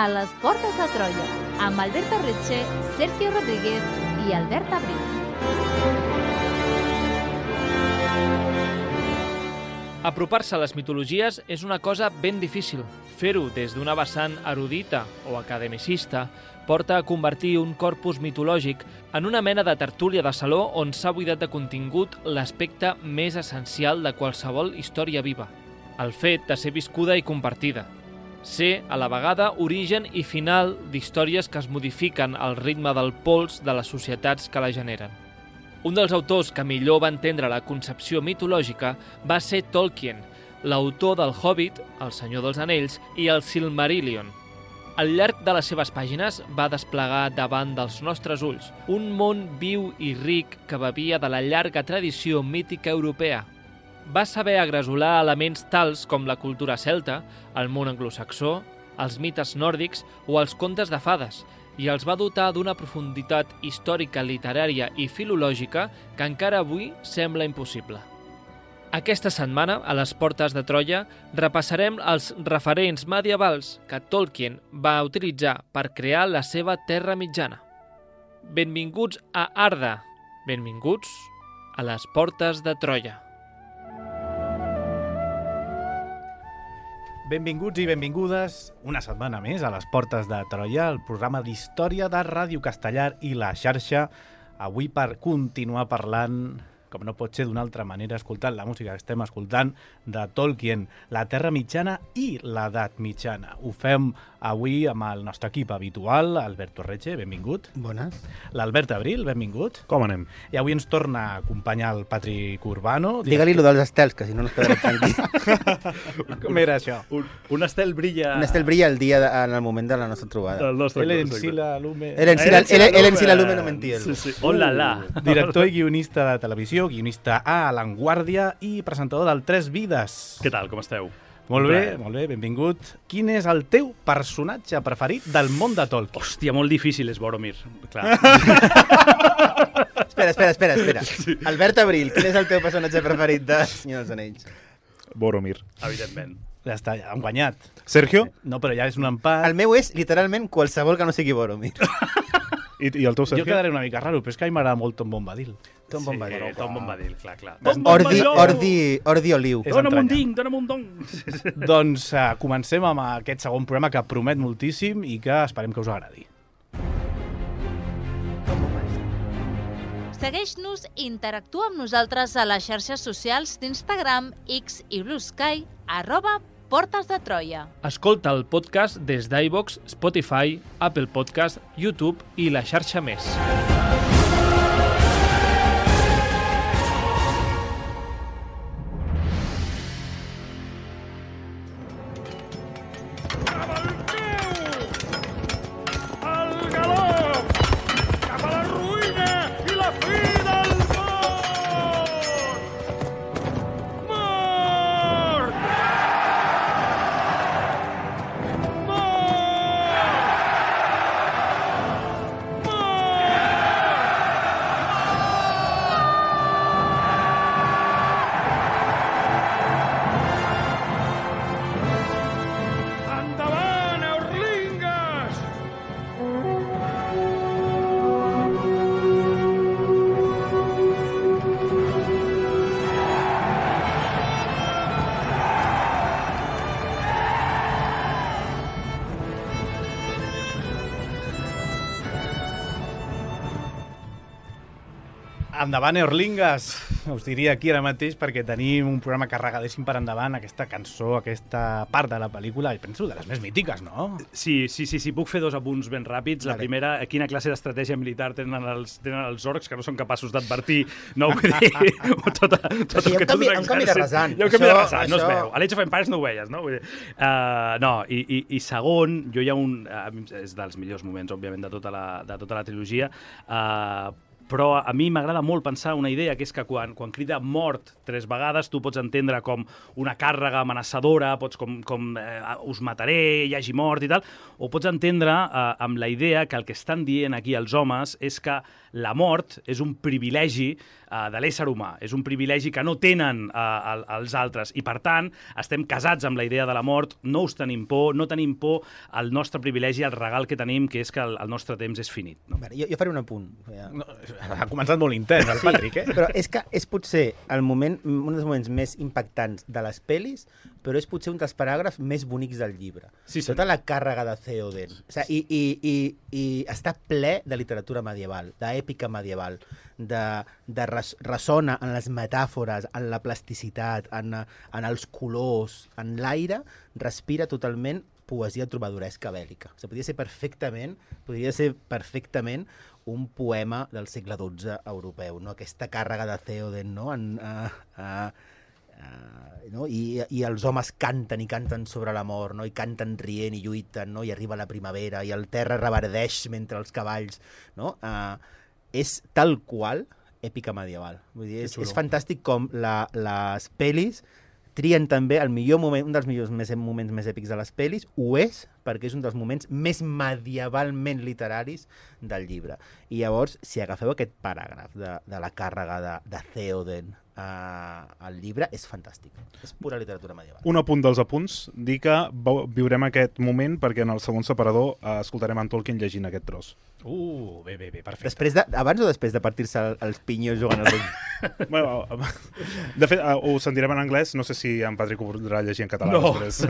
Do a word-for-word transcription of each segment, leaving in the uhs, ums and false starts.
a les Portes de Troia, amb Alberto Retxe, Sergio Rodríguez i Albert Abril. Apropar-se a les mitologies és una cosa ben difícil. Fer-ho des d'una vessant erudita o academicista porta a convertir un corpus mitològic en una mena de tertúlia de saló on s'ha buidat de contingut l'aspecte més essencial de qualsevol història viva, el fet de ser viscuda i compartida. Ser, a la vegada, origen i final d'històries que es modifiquen al ritme del pols de les societats que la generen. Un dels autors que millor va entendre la concepció mitològica va ser Tolkien, l'autor del Hobbit, El Senyor dels Anells i el Silmarillion. Al llarg de les seves pàgines va desplegar davant dels nostres ulls un món viu i ric que bevia de la llarga tradició mítica europea. Va saber agresolar elements tals com la cultura celta, el món anglosaxó, els mites nòrdics o els contes de fades, i els va dotar d'una profunditat històrica, literària i filològica que encara avui sembla impossible. Aquesta setmana, a les Portes de Troia, repassarem els referents medievals que Tolkien va utilitzar per crear la seva Terra Mitjana. Benvinguts a Arda. Benvinguts a les Portes de Troia. Benvinguts i benvingudes una setmana més a les Portes de Troia, el programa d'història de Ràdio Castellar i la xarxa. Avui per continuar parlant, com no pot ser d'una altra manera, escoltant la música que estem escoltant de Tolkien, la Terra Mitjana i l'Edat Mitjana. Ho fem avui amb el nostre equip habitual, Alberto Retxe, benvingut. Bones. L'Albert Abril, benvingut. Com anem? I avui ens torna a acompanyar el Patrick Urbano. Digue-li lo dels estels, que si no no es quedarà tranquil. Com era això? Un, un estel brilla... Un estel brilla el dia de, en el moment de la nostra trobada. El nostre Él exacte. encila lume... Él encila, él, él encila lume, no mentir. Sí, sí. Hola, la. Director i guionista de televisió, guionista a La Vanguardia i presentador del Tres Vides. Què tal, com esteu? Molt Un bé, plaer. molt bé, benvingut. Quin és el teu personatge preferit del món de Tolkien? Hòstia, molt difícil és Boromir. Clar. Espera, espera, espera, espera. Sí. Albert Abril, quin és el teu personatge preferit de Senyor dels Anells? Boromir. Evidentment. Ja està, ja hem guanyat. Sergio? No, però ja és un empat. El meu és, literalment, qualsevol que no sigui Boromir. I, i el teu, Jo Sergio? quedaré una mica raro, però és que a mi m'agrada molt Tom Bombadil. Tom Bombadil. Sí, Tom Bombadil, clar, clar. Ordi, ordi, ordi oliu. És Dóna'm un entranyable. ding, dóna'm un dong. Doncs uh, comencem amb aquest segon programa que promet moltíssim i que esperem que us agradi. Segueix-nos i interactua amb nosaltres a les xarxes socials d'Instagram, X i Blue Sky, arroba Portes de Troia. Escolta el podcast des d'iVoox, Spotify, Apple Podcast, YouTube i la xarxa més. Al galop! Cap a la ruïna i la fi del món! Mort! Endavant, Eurlingues! Endavant, Eorlingues! Us diria aquí ara mateix perquè tenim un programa carregadíssim per endavant, aquesta cançó, aquesta part de la pel·lícula, i penso de les més mítiques, no? Sí, sí, sí, sí, puc fer dos apunts ben ràpids. La Vale. primera, quina classe d'estratègia militar tenen els, tenen els orcs que no són capaços d'advertir, no vull dir... tota, tota, Sí, hi ha un que tot canvi- un un canvi de exèrcit. rasant. Hi ha un canvi de Això- rasant, no es això- veu. A l'Age of Empires no ho veies, no? Vull dir, uh, no, i, i, i segon, jo hi ha un... Uh, és dels millors moments, òbviament, de tota la, de tota la trilogia, uh, però a mi m'agrada molt pensar una idea, que és que quan, quan crida mort tres vegades, tu pots entendre com una càrrega amenaçadora, pots com, com eh, us mataré, hi hagi mort i tal, o pots entendre eh, amb la idea que el que estan dient aquí els homes és que la mort és un privilegi uh, de l'ésser humà. És un privilegi que no tenen uh, els altres i, per tant, estem casats amb la idea de la mort, no us tenim por, no tenim por al nostre privilegi, al regal que tenim, que és que el, el nostre temps és finit. No? Vale, jo, jo faré un apunt. No, ha començat molt intens, el Patrick, eh? Però és que és potser el moment, un dels moments més impactants de les pel·lis, però és potser un dels paràgrafs més bonics del llibre. Sí, sí. Tota la càrrega de Theoden. O sigui, i, i, i, i està ple de literatura medieval, d'èpica medieval, de, de res, ressona en les metàfores, en la plasticitat, en, en els colors, en l'aire, respira totalment poesia trobadoresca bèl·lica. O sigui, podria ser perfectament, podria ser perfectament un poema del segle dotze europeu, no? Aquesta càrrega de Theoden, no? En, uh, uh, Uh, no? I, i els homes canten i canten sobre la mort, no? I canten rient i lluiten, no? I arriba la primavera i el terra reverdeix mentre els cavalls, no? Uh, és tal qual èpica medieval. Vull dir, és, és fantàstic com la, les pel·lis trien també el millor moment, un dels millors més, moments més èpics de les pel·lis, ho és perquè és un dels moments més medievalment literaris del llibre. I llavors, si agafeu aquest paràgraf de, de la càrrega de, de Theoden Uh, el llibre és fantàstic. És pura literatura medieval. Un apunt dels apunts, dir que viurem aquest moment perquè en el segon separador uh, escoltarem en Tolkien llegint aquest tros. Uh, bé, bé, bé, perfecte. Després de, abans o després de partir-se els pinyos jugant al rugby? Bueno, de fet, uh, ho sentirem en anglès, no sé si en Patrick ho podrà llegir en català no. després.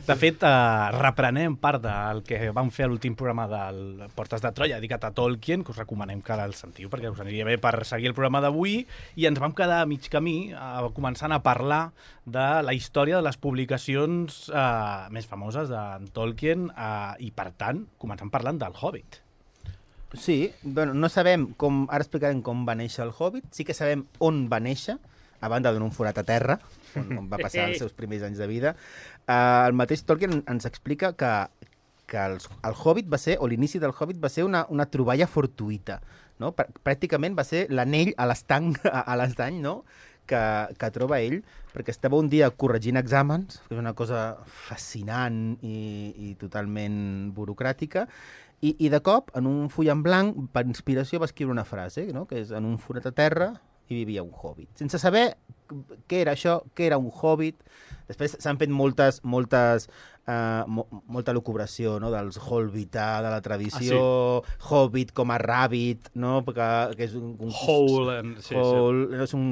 De fet, eh, reprenem part del que vam fer a l'últim programa del Portes de Troia, dedicat a Tolkien, que us recomanem que el sentiu, perquè us aniria bé per seguir el programa d'avui, i ens vam quedar a mig camí, eh, començant a parlar de la història de les publicacions eh, més famoses d'en Tolkien, eh, i per tant, començant parlant del Hobbit. Sí, bueno, no sabem com, ara explicarem com va néixer el Hobbit, sí que sabem on va néixer, a banda d'un forat a terra, on, on va passar els seus primers anys de vida. Uh, el mateix Tolkien ens explica que, que els, el Hobbit va ser, o l'inici del Hobbit va ser una, una troballa fortuïta, no? Pràcticament va ser l'anell a l'estanc, a l'estany, no? que, que troba ell, perquè estava un dia corregint exàmens, que és una cosa fascinant i, i totalment burocràtica, i, i de cop, en un full en blanc, per inspiració va escriure una frase, no? Que és: en un forat a terra hi vivia un hobbit. Sense saber què era això, què era un hobbit. Després s'han fet moltes, moltes, uh, mo molta lucubració, no? Dels Holbità, de la tradició, ah, sí. Hobbit com a rabbit, no? Perquè, que és un... un Hole, and... sí, hole, sí. No? És un,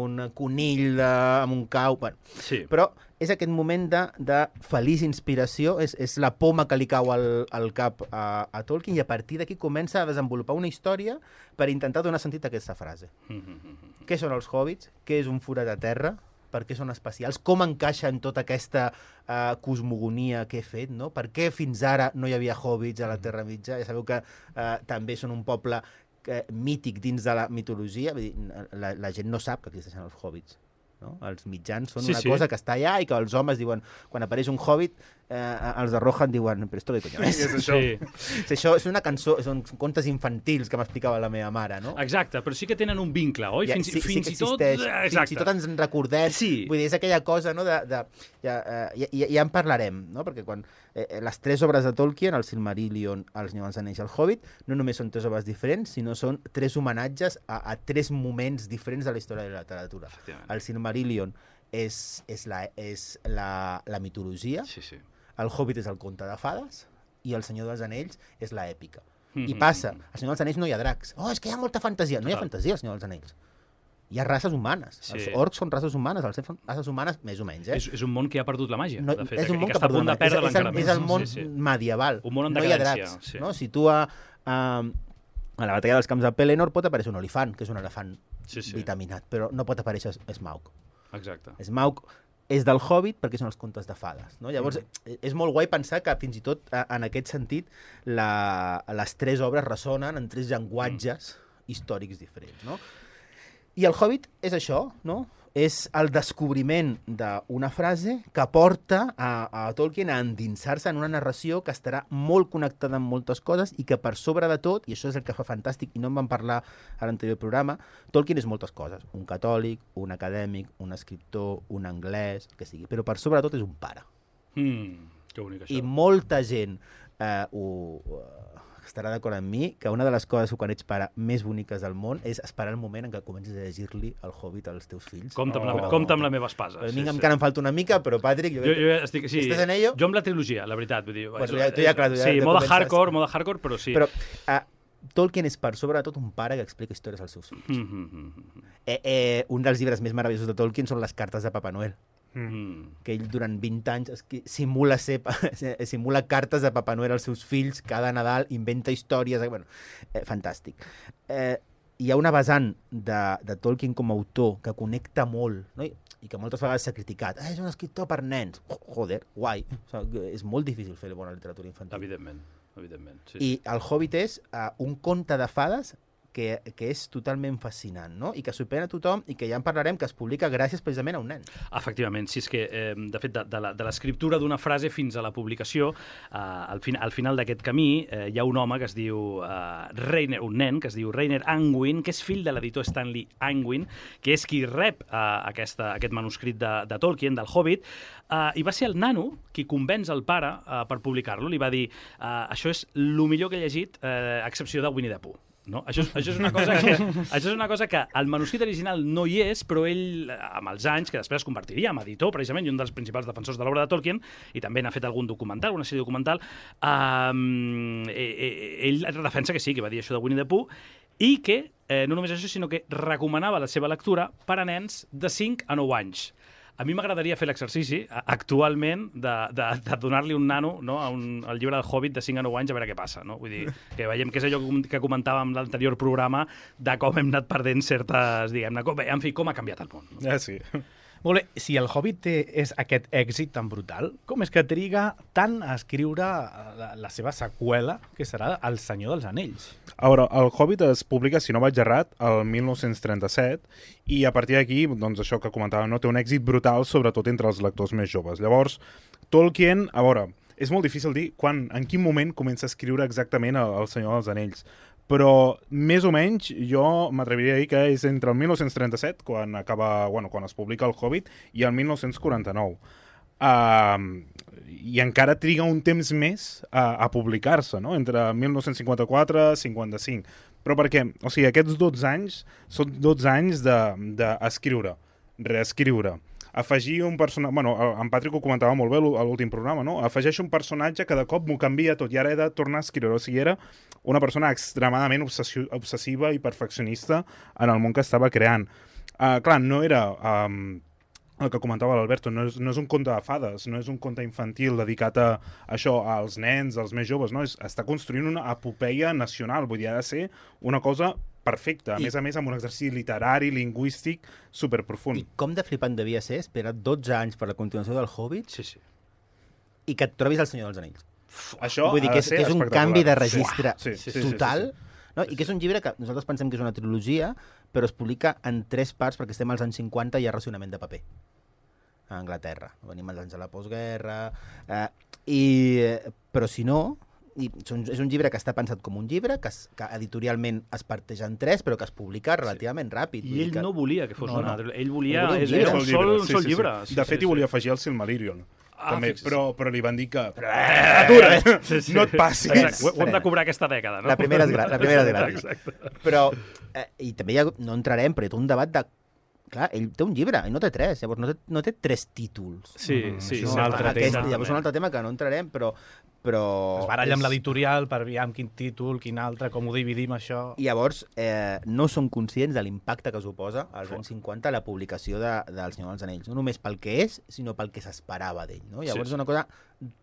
un conill de, amb un cau... Bueno, sí. Però és aquest moment de, de feliç inspiració, és, és la poma que li cau al, al cap a, a Tolkien, i a partir d'aquí comença a desenvolupar una història per intentar donar sentit a aquesta frase. Mm-hmm. Què són els hobbits? Què és un forat a terra? Per què són especials? Com encaixa en tota aquesta uh, cosmogonia que he fet? No? Per què fins ara no hi havia hobbits a la Terra Mitja? Ja sabeu que uh, també són un poble uh, mític dins de la mitologia. Vull dir, la, la gent no sap que existeixen els hobbits. No? Els mitjans són sí, una sí. cosa que està allà i que els homes diuen, quan apareix un hobbit, eh, els de Rohan diuen, però esto de coño és? és això? Sí. Això és una cançó, són contes infantils que m'explicava la meva mare, no? Exacte, però sí que tenen un vincle, oi? Ja, fins sí, fins sí i tot... Exacte. Fins i tot ens en recordem. Sí. Vull dir, és aquella cosa, no? De, de, ja, ja, ja, ja en parlarem, no? Perquè quan eh, les tres obres de Tolkien, el Silmarillion, el Senyor dels Anells i el Hobbit, no només són tres obres diferents, sinó són tres homenatges a, a tres moments diferents de la història de la literatura. El Silmarillion és, és, la, és la, la mitologia, sí, sí. El Hobbit és el conte de fades i el Senyor dels Anells és l'èpica. Mm-hmm. I passa, al Senyor dels Anells no hi ha dracs. Oh, és que hi ha molta fantasia. No hi ha fantasia al Senyor dels Anells. Hi ha races humanes. Sí. Els orcs són races humanes, els elfs són races humanes més o menys. Eh? És, és un món que ha perdut la màgia, no, de fet. És un món que, que, que està a punt de perdre és, és, el, és el món sí, sí. medieval. Un món en no hi ha decadència. dracs. Sí. No? Si tu a, a, a la batalla dels camps de Pelennor pot aparèixer un olifant, que és un elefant sí, sí. vitaminat, però no pot aparèixer Smaug. Exacte. Smaug és del Hobbit perquè són els contes de fades. No? Llavors, mm. és molt guai pensar que fins i tot en aquest sentit la, les tres obres ressonen en tres llenguatges mm. històrics diferents. No? I el Hobbit és això, no? És el descobriment d'una frase que porta a, a Tolkien a endinsar-se en una narració que estarà molt connectada amb moltes coses i que per sobre de tot, i això és el que fa fantàstic, i no en vam parlar a l'anterior programa, Tolkien és moltes coses. Un catòlic, un acadèmic, un escriptor, un anglès, que sigui. Però per sobre de tot és un pare. Mm, que bonic això. I molta gent eh, ho, estarà d'acord amb mi, que una de les coses quan ets pare més boniques del món és esperar el moment en què comences a llegir-li el Hobbit als teus fills. Compte amb, la, Oh. compte amb la meva espasa. A mi encara em falta una mica, però Patrick... Jo, jo estic, sí, ¿Estàs en ello? Jo amb la trilogia, la veritat. Vull dir, Pues tu ja- tu ja, clar, tu ja- sí, ja moda comences. hardcore, moda hardcore, però sí. Però uh, Tolkien és per sobre de tot un pare que explica històries als seus fills. Mm, mm, mm, Eh, eh, un dels llibres més meravellosos de Tolkien són les cartes de Papa Noel, mm. que ell durant vint anys esqui- simula, ser, simula cartes de Papa Noel als seus fills cada Nadal, inventa històries... Eh, bueno, eh, fantàstic. Eh, hi ha una vessant de, de Tolkien com a autor que connecta molt, no? I, i que moltes vegades s'ha criticat. Ah, és un escriptor per nens. Joder, guai. O sigui, és molt difícil fer bona literatura infantil. Evidentment, evidentment. Sí, I el Hobbit és uh, un conte de fades que, que és totalment fascinant, no? I que sorprèn a tothom i que ja en parlarem, que es publica gràcies precisament a un nen. Efectivament, sí, és que, eh, de fet, de, de la- de l'escriptura d'una frase fins a la publicació, eh, al, fin, al final d'aquest camí eh, hi ha un home que es diu eh, Reiner, un nen que es diu Reiner Angwin, que és fill de l'editor Stanley Angwin, que és qui rep eh, aquesta, aquest manuscrit de, de Tolkien, del Hobbit, eh, i va ser el nano qui convenç el pare eh, per publicar-lo. Li va dir, eh, això és el millor que he llegit, eh, a excepció de Winnie the Pooh. No? Això, és, això, és una cosa que, això és una cosa que el manuscrit original no hi és, però ell, amb els anys, que després es convertiria en editor, precisament, i un dels principals defensors de l'obra de Tolkien, i també n'ha fet algun documental, una sèrie documental, um, ell defensa que sí, que va dir això de Winnie the Pooh, i que, eh, no només això, sinó que recomanava la seva lectura per a nens de cinc a nou anys. A mi m'agradaria fer l'exercici, a- actualment, de, de, de donar-li un nano, no, a un, al llibre del Hobbit de cinc a nou anys a veure què passa. No? Vull dir, que veiem que és allò que com- que comentàvem en l'anterior programa de com hem anat perdent certes, diguem-ne, com, en fi, com ha canviat el món. No? Ah, sí. Molt bé, si el Hobbit té, és aquest èxit tan brutal, com és que triga tant a escriure la, la seva seqüela, que serà El Senyor dels Anells? A veure, el Hobbit es publica, si no vaig errat, el mil nou-cents trenta-set, i a partir d'aquí, doncs això que comentàvem, no, té un èxit brutal, sobretot entre els lectors més joves. Llavors, Tolkien, a veure, és molt difícil dir quan, en quin moment comença a escriure exactament el, el Senyor dels Anells, però més o menys jo m'atreviria a dir que és entre el mil nou-cents trenta-set, quan acaba, bueno, quan es publica el Hobbit, i el mil nou-cents quaranta-nou. Uh, I encara triga un temps més a, a publicar-se, no? Entre mil nou-cents cinquanta-quatre i cinquanta-cinc. Però perquè, o sigui, aquests dotze anys són dotze anys d'escriure, de, reescriure, afegir un personatge... Bueno, en Patrick ho comentava molt bé a l'últim programa, no? Afegeix un personatge que de cop m'ho canvia tot i ara he de tornar a escriure. O sigui, era una persona extremadament obsessi obsessiva i perfeccionista en el món que estava creant. Uh, clar, no era... Um, el que comentava l'Alberto, no, és, no és un conte de fades, no és un conte infantil dedicat a això, als nens, als més joves, no? És, està construint una epopeia nacional, vull dir, ha de ser una cosa perfecta, a I... més a més amb un exercici literari, lingüístic, superprofund. I com de flipant devia ser esperar dotze anys per la continuació del Hobbit Sí, sí. i que et trobis el Senyor dels Anells. Això Vull dir ha que de és, ser que és un espectacular. canvi de registre Sí, sí, sí, total, sí, sí, sí. no? I que és un llibre que nosaltres pensem que és una trilogia, però es publica en tres parts perquè estem als anys cinquanta i hi ha racionament de paper a Anglaterra. Venim als anys de la postguerra, eh, i, eh, però si no, i són- és un llibre que està pensat com un llibre, que, es, que editorialment es parteix en tres, però que es publica relativament ràpid. Vull I dir ell que... no volia que fos No, una... no. Ell volia... Ell volia un és, llibre. era un sol, un Sí, sol sí, llibre. sí. De fet, hi volia afegir el Silmarillion. Ah, també, fixa't. però, però li van dir que... Atura! Sí, sí. No et passis. Exacte. Ho, ho hem de cobrar aquesta dècada, no? La primera és gra- la primera és gratis. Exacte. Però, eh, i també hi ha, no entrarem, però hi ha tot un debat de... Clar, ell té un llibre, i no té tres, llavors no té, no té tres títols. Sí, Mm, sí. això és sí, un altre Aquest, tema. llavors és un altre tema que no entrarem, però... però Es baralla amb és- l'editorial per aviam quin títol, quin altre, com ho dividim, això... I llavors eh, no són conscients de l'impacte que suposa als anys cinquanta la publicació de, del Senyor dels Anells. No només pel que és, sinó pel que s'esperava d'ell. No? Llavors Sí. és una cosa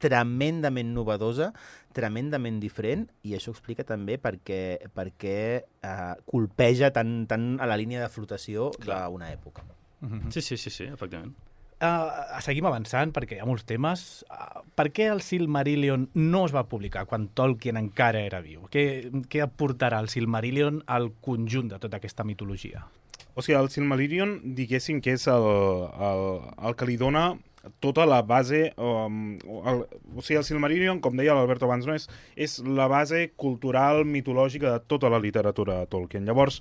tremendament novedosa, tremendament diferent, i això explica també per què, per què eh, colpeja tan, tan a la línia de flotació Clar. d'una època. Mhm. Sí, sí, sí, sí, efectivament. Uh, seguim avançant, perquè hi ha molts temes. Uh, per què el Silmarillion no es va publicar quan Tolkien encara era viu? Què, què aportarà el Silmarillion al conjunt de tota aquesta mitologia? O sigui, el Silmarillion, diguéssim que és el, el, el que li dona tota la base... Um, el, o sigui, el Silmarillion, com deia l'Alberto abans, no? és, és la base cultural, mitològica de tota la literatura de Tolkien. Llavors,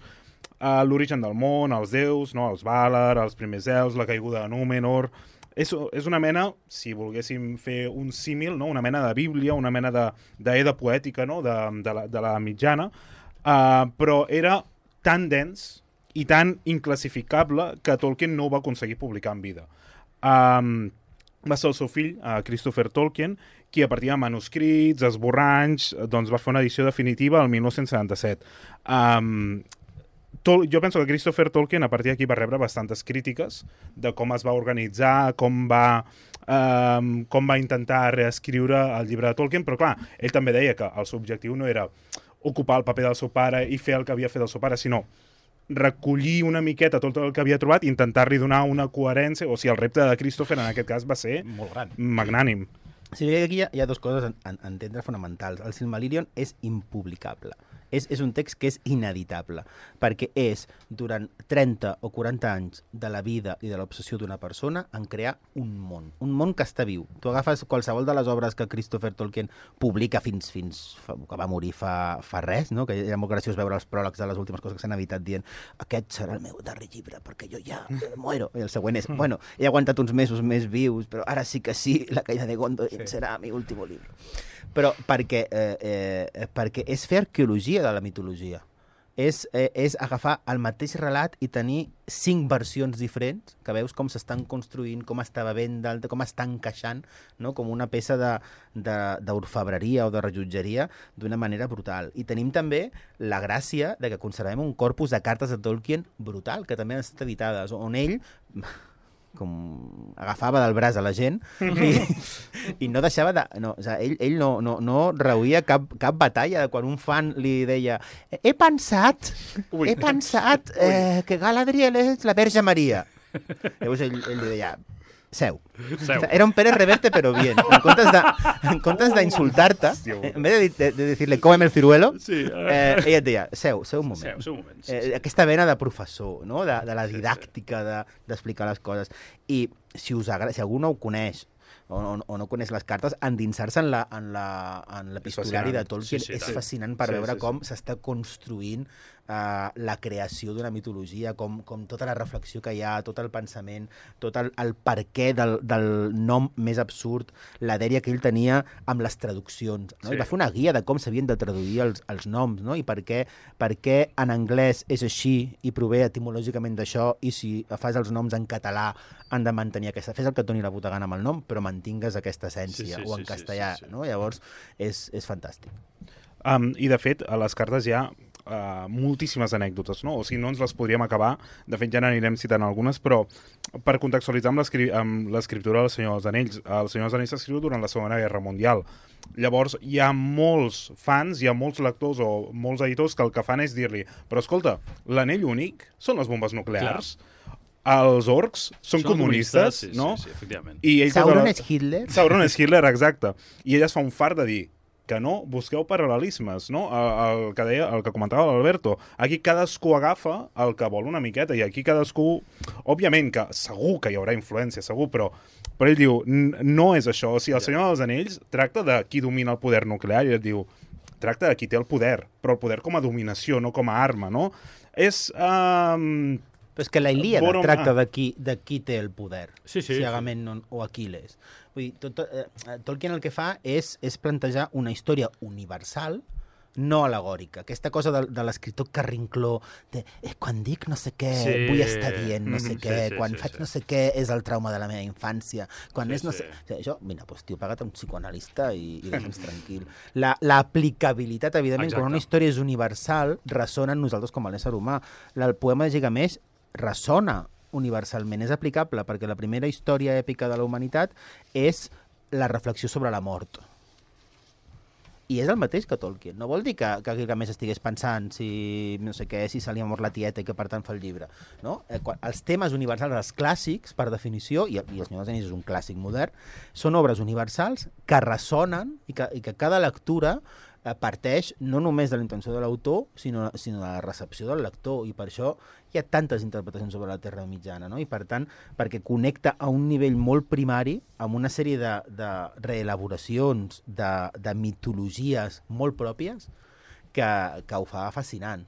uh, l'origen del món, els déus, no? Els Valar, els primers elfs, la caiguda de Númenor... és, és una mena, si volguéssim fer un símil, no? Una mena de bíblia, una mena d'eda poètica, no? de, de, la, de la mitjana, uh, però era tan dens i tan inclassificable que Tolkien no ho va aconseguir publicar en vida. Um, va ser el seu fill, uh, Christopher Tolkien, qui a partir de manuscrits, esborranys, doncs va fer una edició definitiva el mil nou-cents setanta-set. Um, Tol jo penso que Christopher Tolkien a partir d'aquí va rebre bastantes crítiques de com es va organitzar, com va, um, com va intentar reescriure el llibre de Tolkien, però clar, ell també deia que el seu objectiu no era ocupar el paper del seu pare i fer el que havia fet el seu pare, sinó recollir una miqueta tot el que havia trobat i intentar-li donar una coherència, o sigui, el repte de Christopher en aquest cas va ser molt gran, magnànim. Sí, aquí hi ha, hi ha dues coses a, a entendre fonamentals. El Silmarillion és impublicable. És, és un text que és ineditable, perquè és, durant trenta o quaranta anys de la vida i de l'obsessió d'una persona, en crear un món. Un món que està viu. Tu agafes qualsevol de les obres que Christopher Tolkien publica fins, fins que va morir fa, fa res, no? Que era molt graciós veure els pròlegs de les últimes coses que s'han editat dient aquest serà el meu darrer llibre, perquè jo ja muero. I el següent és, bueno, he aguantat uns mesos més vius, però ara sí que sí, La caïda de Gondor sí. serà mi últim llibre. Però perquè, eh, eh, perquè és fer arqueologia de la mitologia. És, eh, és agafar el mateix relat i tenir cinc versions diferents, que veus com s'estan construint, com està bevent d'alta, com està encaixant, no? Com una peça d'orfebreria o de rellotgeria d'una manera brutal. I tenim també la gràcia de que conservem un corpus de cartes de Tolkien brutal, que també han estat editades, on ell com agafava del braç a la gent i, i no deixava de... No, o sigui, ell ell no, no, no reuïa cap, cap batalla quan un fan li deia he pensat, Ui. he pensat eh, que Galadriel és la Verge Maria. Llavors ell, ell li deia seu. seu. Era un Pérez Reverte, pero bien. En comptes de, en comptes d'insultar-te, en vez de, de, de decirle cómeme el ciruelo, sí, eh, ella et deia, seu, seu un moment. Seu, seu un moment. Sí, eh, sí. Aquesta vena de professor, no? de, de la didàctica, d'explicar de, les coses. I si, us agrada, si algú no ho coneix, o no, o no coneix les cartes, endinsar-se en l'epistolari de Tolkien sí, sí, és fascinant per sí, veure sí, com s'està sí. construint uh, la creació d'una mitologia, com, com tota la reflexió que hi ha, tot el pensament, tot el, el perquè del, del nom més absurd, la dèria que ell tenia amb les traduccions. No? Sí. I va fer una guia de com s'havien de traduir els, els noms, no? I per què, per què en anglès és així i prové etimològicament d'això, i si fas els noms en català han de mantenir aquesta... Fes el que et doni la puta gana amb el nom, però mantingues aquesta essència, sí, sí, o en sí, castellà, sí, sí, sí. No? Llavors, és, és fantàstic. Um, I, de fet, a les cartes hi ha uh, moltíssimes anècdotes, no? O sigui, no ens les podríem acabar. De fet, ja n'anirem citant algunes, però per contextualitzar amb l'escriptura del Senyor dels Anells, el Senyor dels Anells s'escriu durant la Segona Guerra Mundial. Llavors, hi ha molts fans, hi ha molts lectors o molts editors que el que fan és dir-li però escolta, l'anell únic són les bombes nuclears. Clar. Els orcs són, són comunistes, sí, no? Sí, sí, efectivament. I Sauron la... és Hitler? Sauron és Hitler, exacte. I ella es fa un fart de dir que no busqueu paral·lelismes, no? El, el, que deia, el que comentava l'Alberto. Aquí cadascú agafa el que vol una miqueta i aquí cadascú... Òbviament que segur que hi haurà influència, segur, però, però ell diu, no és això. O sigui, el Senyor dels Anells tracta de qui domina el poder nuclear i ell diu, tracta de qui té el poder, però el poder com a dominació, no com a arma, no? És... Um... Però és que la Ilíada Borom... tracta de qui, de qui té el poder, sí, sí, si Agamemnon sí. o Aquiles. Vull dir, tot, eh, Tolkien el que fa és, és plantejar una història universal, no alegòrica. Aquesta cosa de, de l'escriptor carrincló, de eh, quan dic no sé què, sí. vull estar dient no sé mm -hmm. què, sí, sí, quan sí, faig sí. no sé què és el trauma de la meva infància, quan sí, és no sí. sé... O sigui, això, mira, doncs, tio, paga't un psicoanalista i, i deixa'ns tranquil. L'aplicabilitat, la, evidentment, Exacte. Quan una història és universal, ressona en nosaltres com a l'ésser humà. El poema de Gilgamesh ressona universalment, és aplicable, perquè la primera història èpica de la humanitat és la reflexió sobre la mort. I és el mateix que Tolkien. No vol dir que, que Gilgamesh estigués pensant si no sé què, si se li ha mort la tieta i que per tant fa el llibre. No? Eh, quan, els temes universals, els clàssics, per definició, i, i El Senyor dels Anells és un clàssic modern, són obres universals que ressonen i que, i que cada lectura eh, parteix no només de la intenció de l'autor, sinó, sinó de la recepció del lector, i per això hi ha tantes interpretacions sobre la Terra Mitjana, no? I per tant, perquè connecta a un nivell molt primari amb una sèrie de, de reelaboracions, de, de mitologies molt pròpies que, que ho fa fascinant.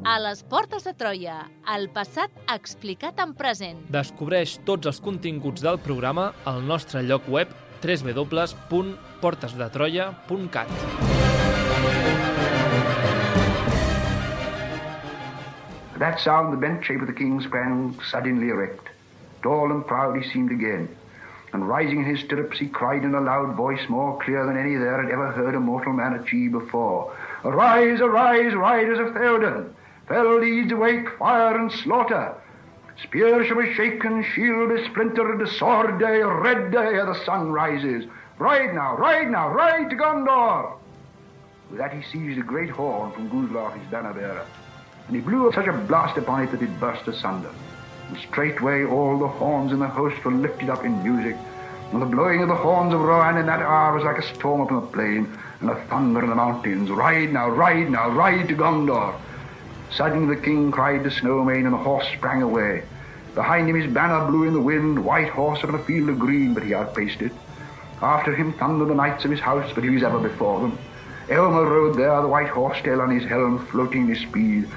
A les portes de Troia, el passat explicat en present. Descobreix tots els continguts del programa al nostre lloc web w w w punt portes de troia punt cat. At that sound, the bent shape of the king sprang suddenly erect. Tall and proud he seemed again, and rising in his stirrups, he cried in a loud voice, more clear than any there had ever heard a mortal man achieve before, "Arise, arise, riders of Theoden! Fell deeds awake, fire and slaughter! Spear shall be shaken, shield be splintered, sword day, red day, ere the sun rises. Ride now, ride now, ride to Gondor!" With that he seized a great horn from Guzlach, his banner-bearer, and he blew such a blast upon it that it burst asunder. And straightway all the horns in the host were lifted up in music, and the blowing of the horns of Rohan in that hour was like a storm upon the plain, and a thunder in the mountains. Ride now, ride now, ride to Gondor! Suddenly the king cried to Snowmane, and the horse sprang away. Behind him his banner blew in the wind, white horse upon a field of green, but he outpaced it. After him thundered the knights of his house, but he was ever before them. Aylmer rode there, the white horse tail on his helm, floating his speed.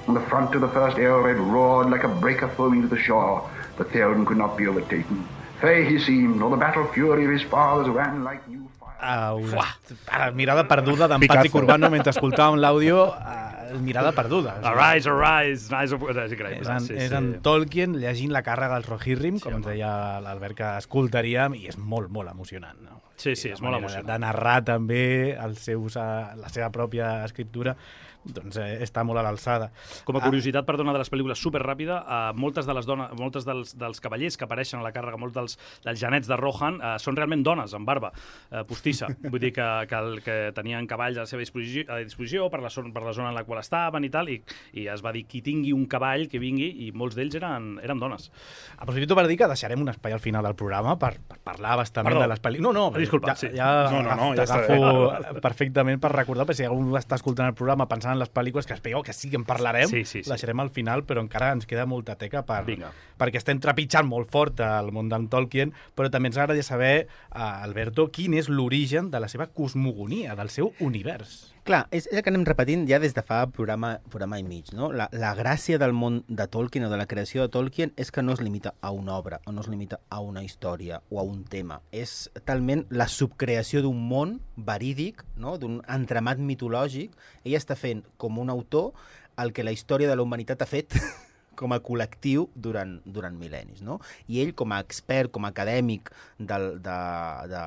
On the front of the first Aelred roared like a breaker foaming to the shore, but Theoden could not be overtaken. Fey he seemed, or the battle fury of his fathers ran like new fire. Uh, una uh, mirada perduda d'en Patrick Urbano mentre escoltàvem l'àudio. Uh, mirada perduda. Arise, arise, arise. És increïble. És en, sí, és sí. en Tolkien llegint la càrrega dels Rohirrim, com Sí, ens deia l'Albert que escoltaríem, i és molt, molt emocionant. No? Sí, sí, és molt emocionant. De narrar també els seus, la seva pròpia escriptura, doncs eh, està molt a l'alçada. Com a curiositat, ah. perdona, de les pel·lícules superràpida, eh, moltes de les dones, moltes dels, dels cavallers que apareixen a la càrrega, molts dels, dels genets de Rohan, eh, són realment dones, amb barba eh, postissa. Vull dir que, que, el, que tenien cavalls a la seva disposició, a disposició per, la zona, per la zona en la qual estaven i tal, i, i es va dir qui tingui un cavall que vingui, i molts d'ells eren, eren dones. Aprofito per dir que deixarem un espai al final del programa per, per parlar bastament Perdó. de les pel·lícules. No, no, Disculpa, ja, sí. ja No, no, no, ja t'agafo perfectament per recordar, perquè si algú està escoltant el programa pensant en les pel·lícules que es veieu que sí que en parlarem, Sí, sí, sí. deixarem al final, però encara ens queda molta teca per, Vinga. perquè estem trepitjant molt fort el món d'en Tolkien, però també ens agradaria saber, uh, Alberto, quin és l'origen de la seva cosmogonia, del seu univers. Clar, és, és el que anem repetint ja des de fa programa, programa i mig, no? La, la gràcia del món de Tolkien o de la creació de Tolkien és que no es limita a una obra, o no es limita a una història o a un tema. És talment la subcreació d'un món verídic, no? D'un entramat mitològic. Ell està fent, com un autor, el que la història de la humanitat ha fet com a col·lectiu durant, durant mil·lennis, no? I ell, com a expert, com a acadèmic del, de, de,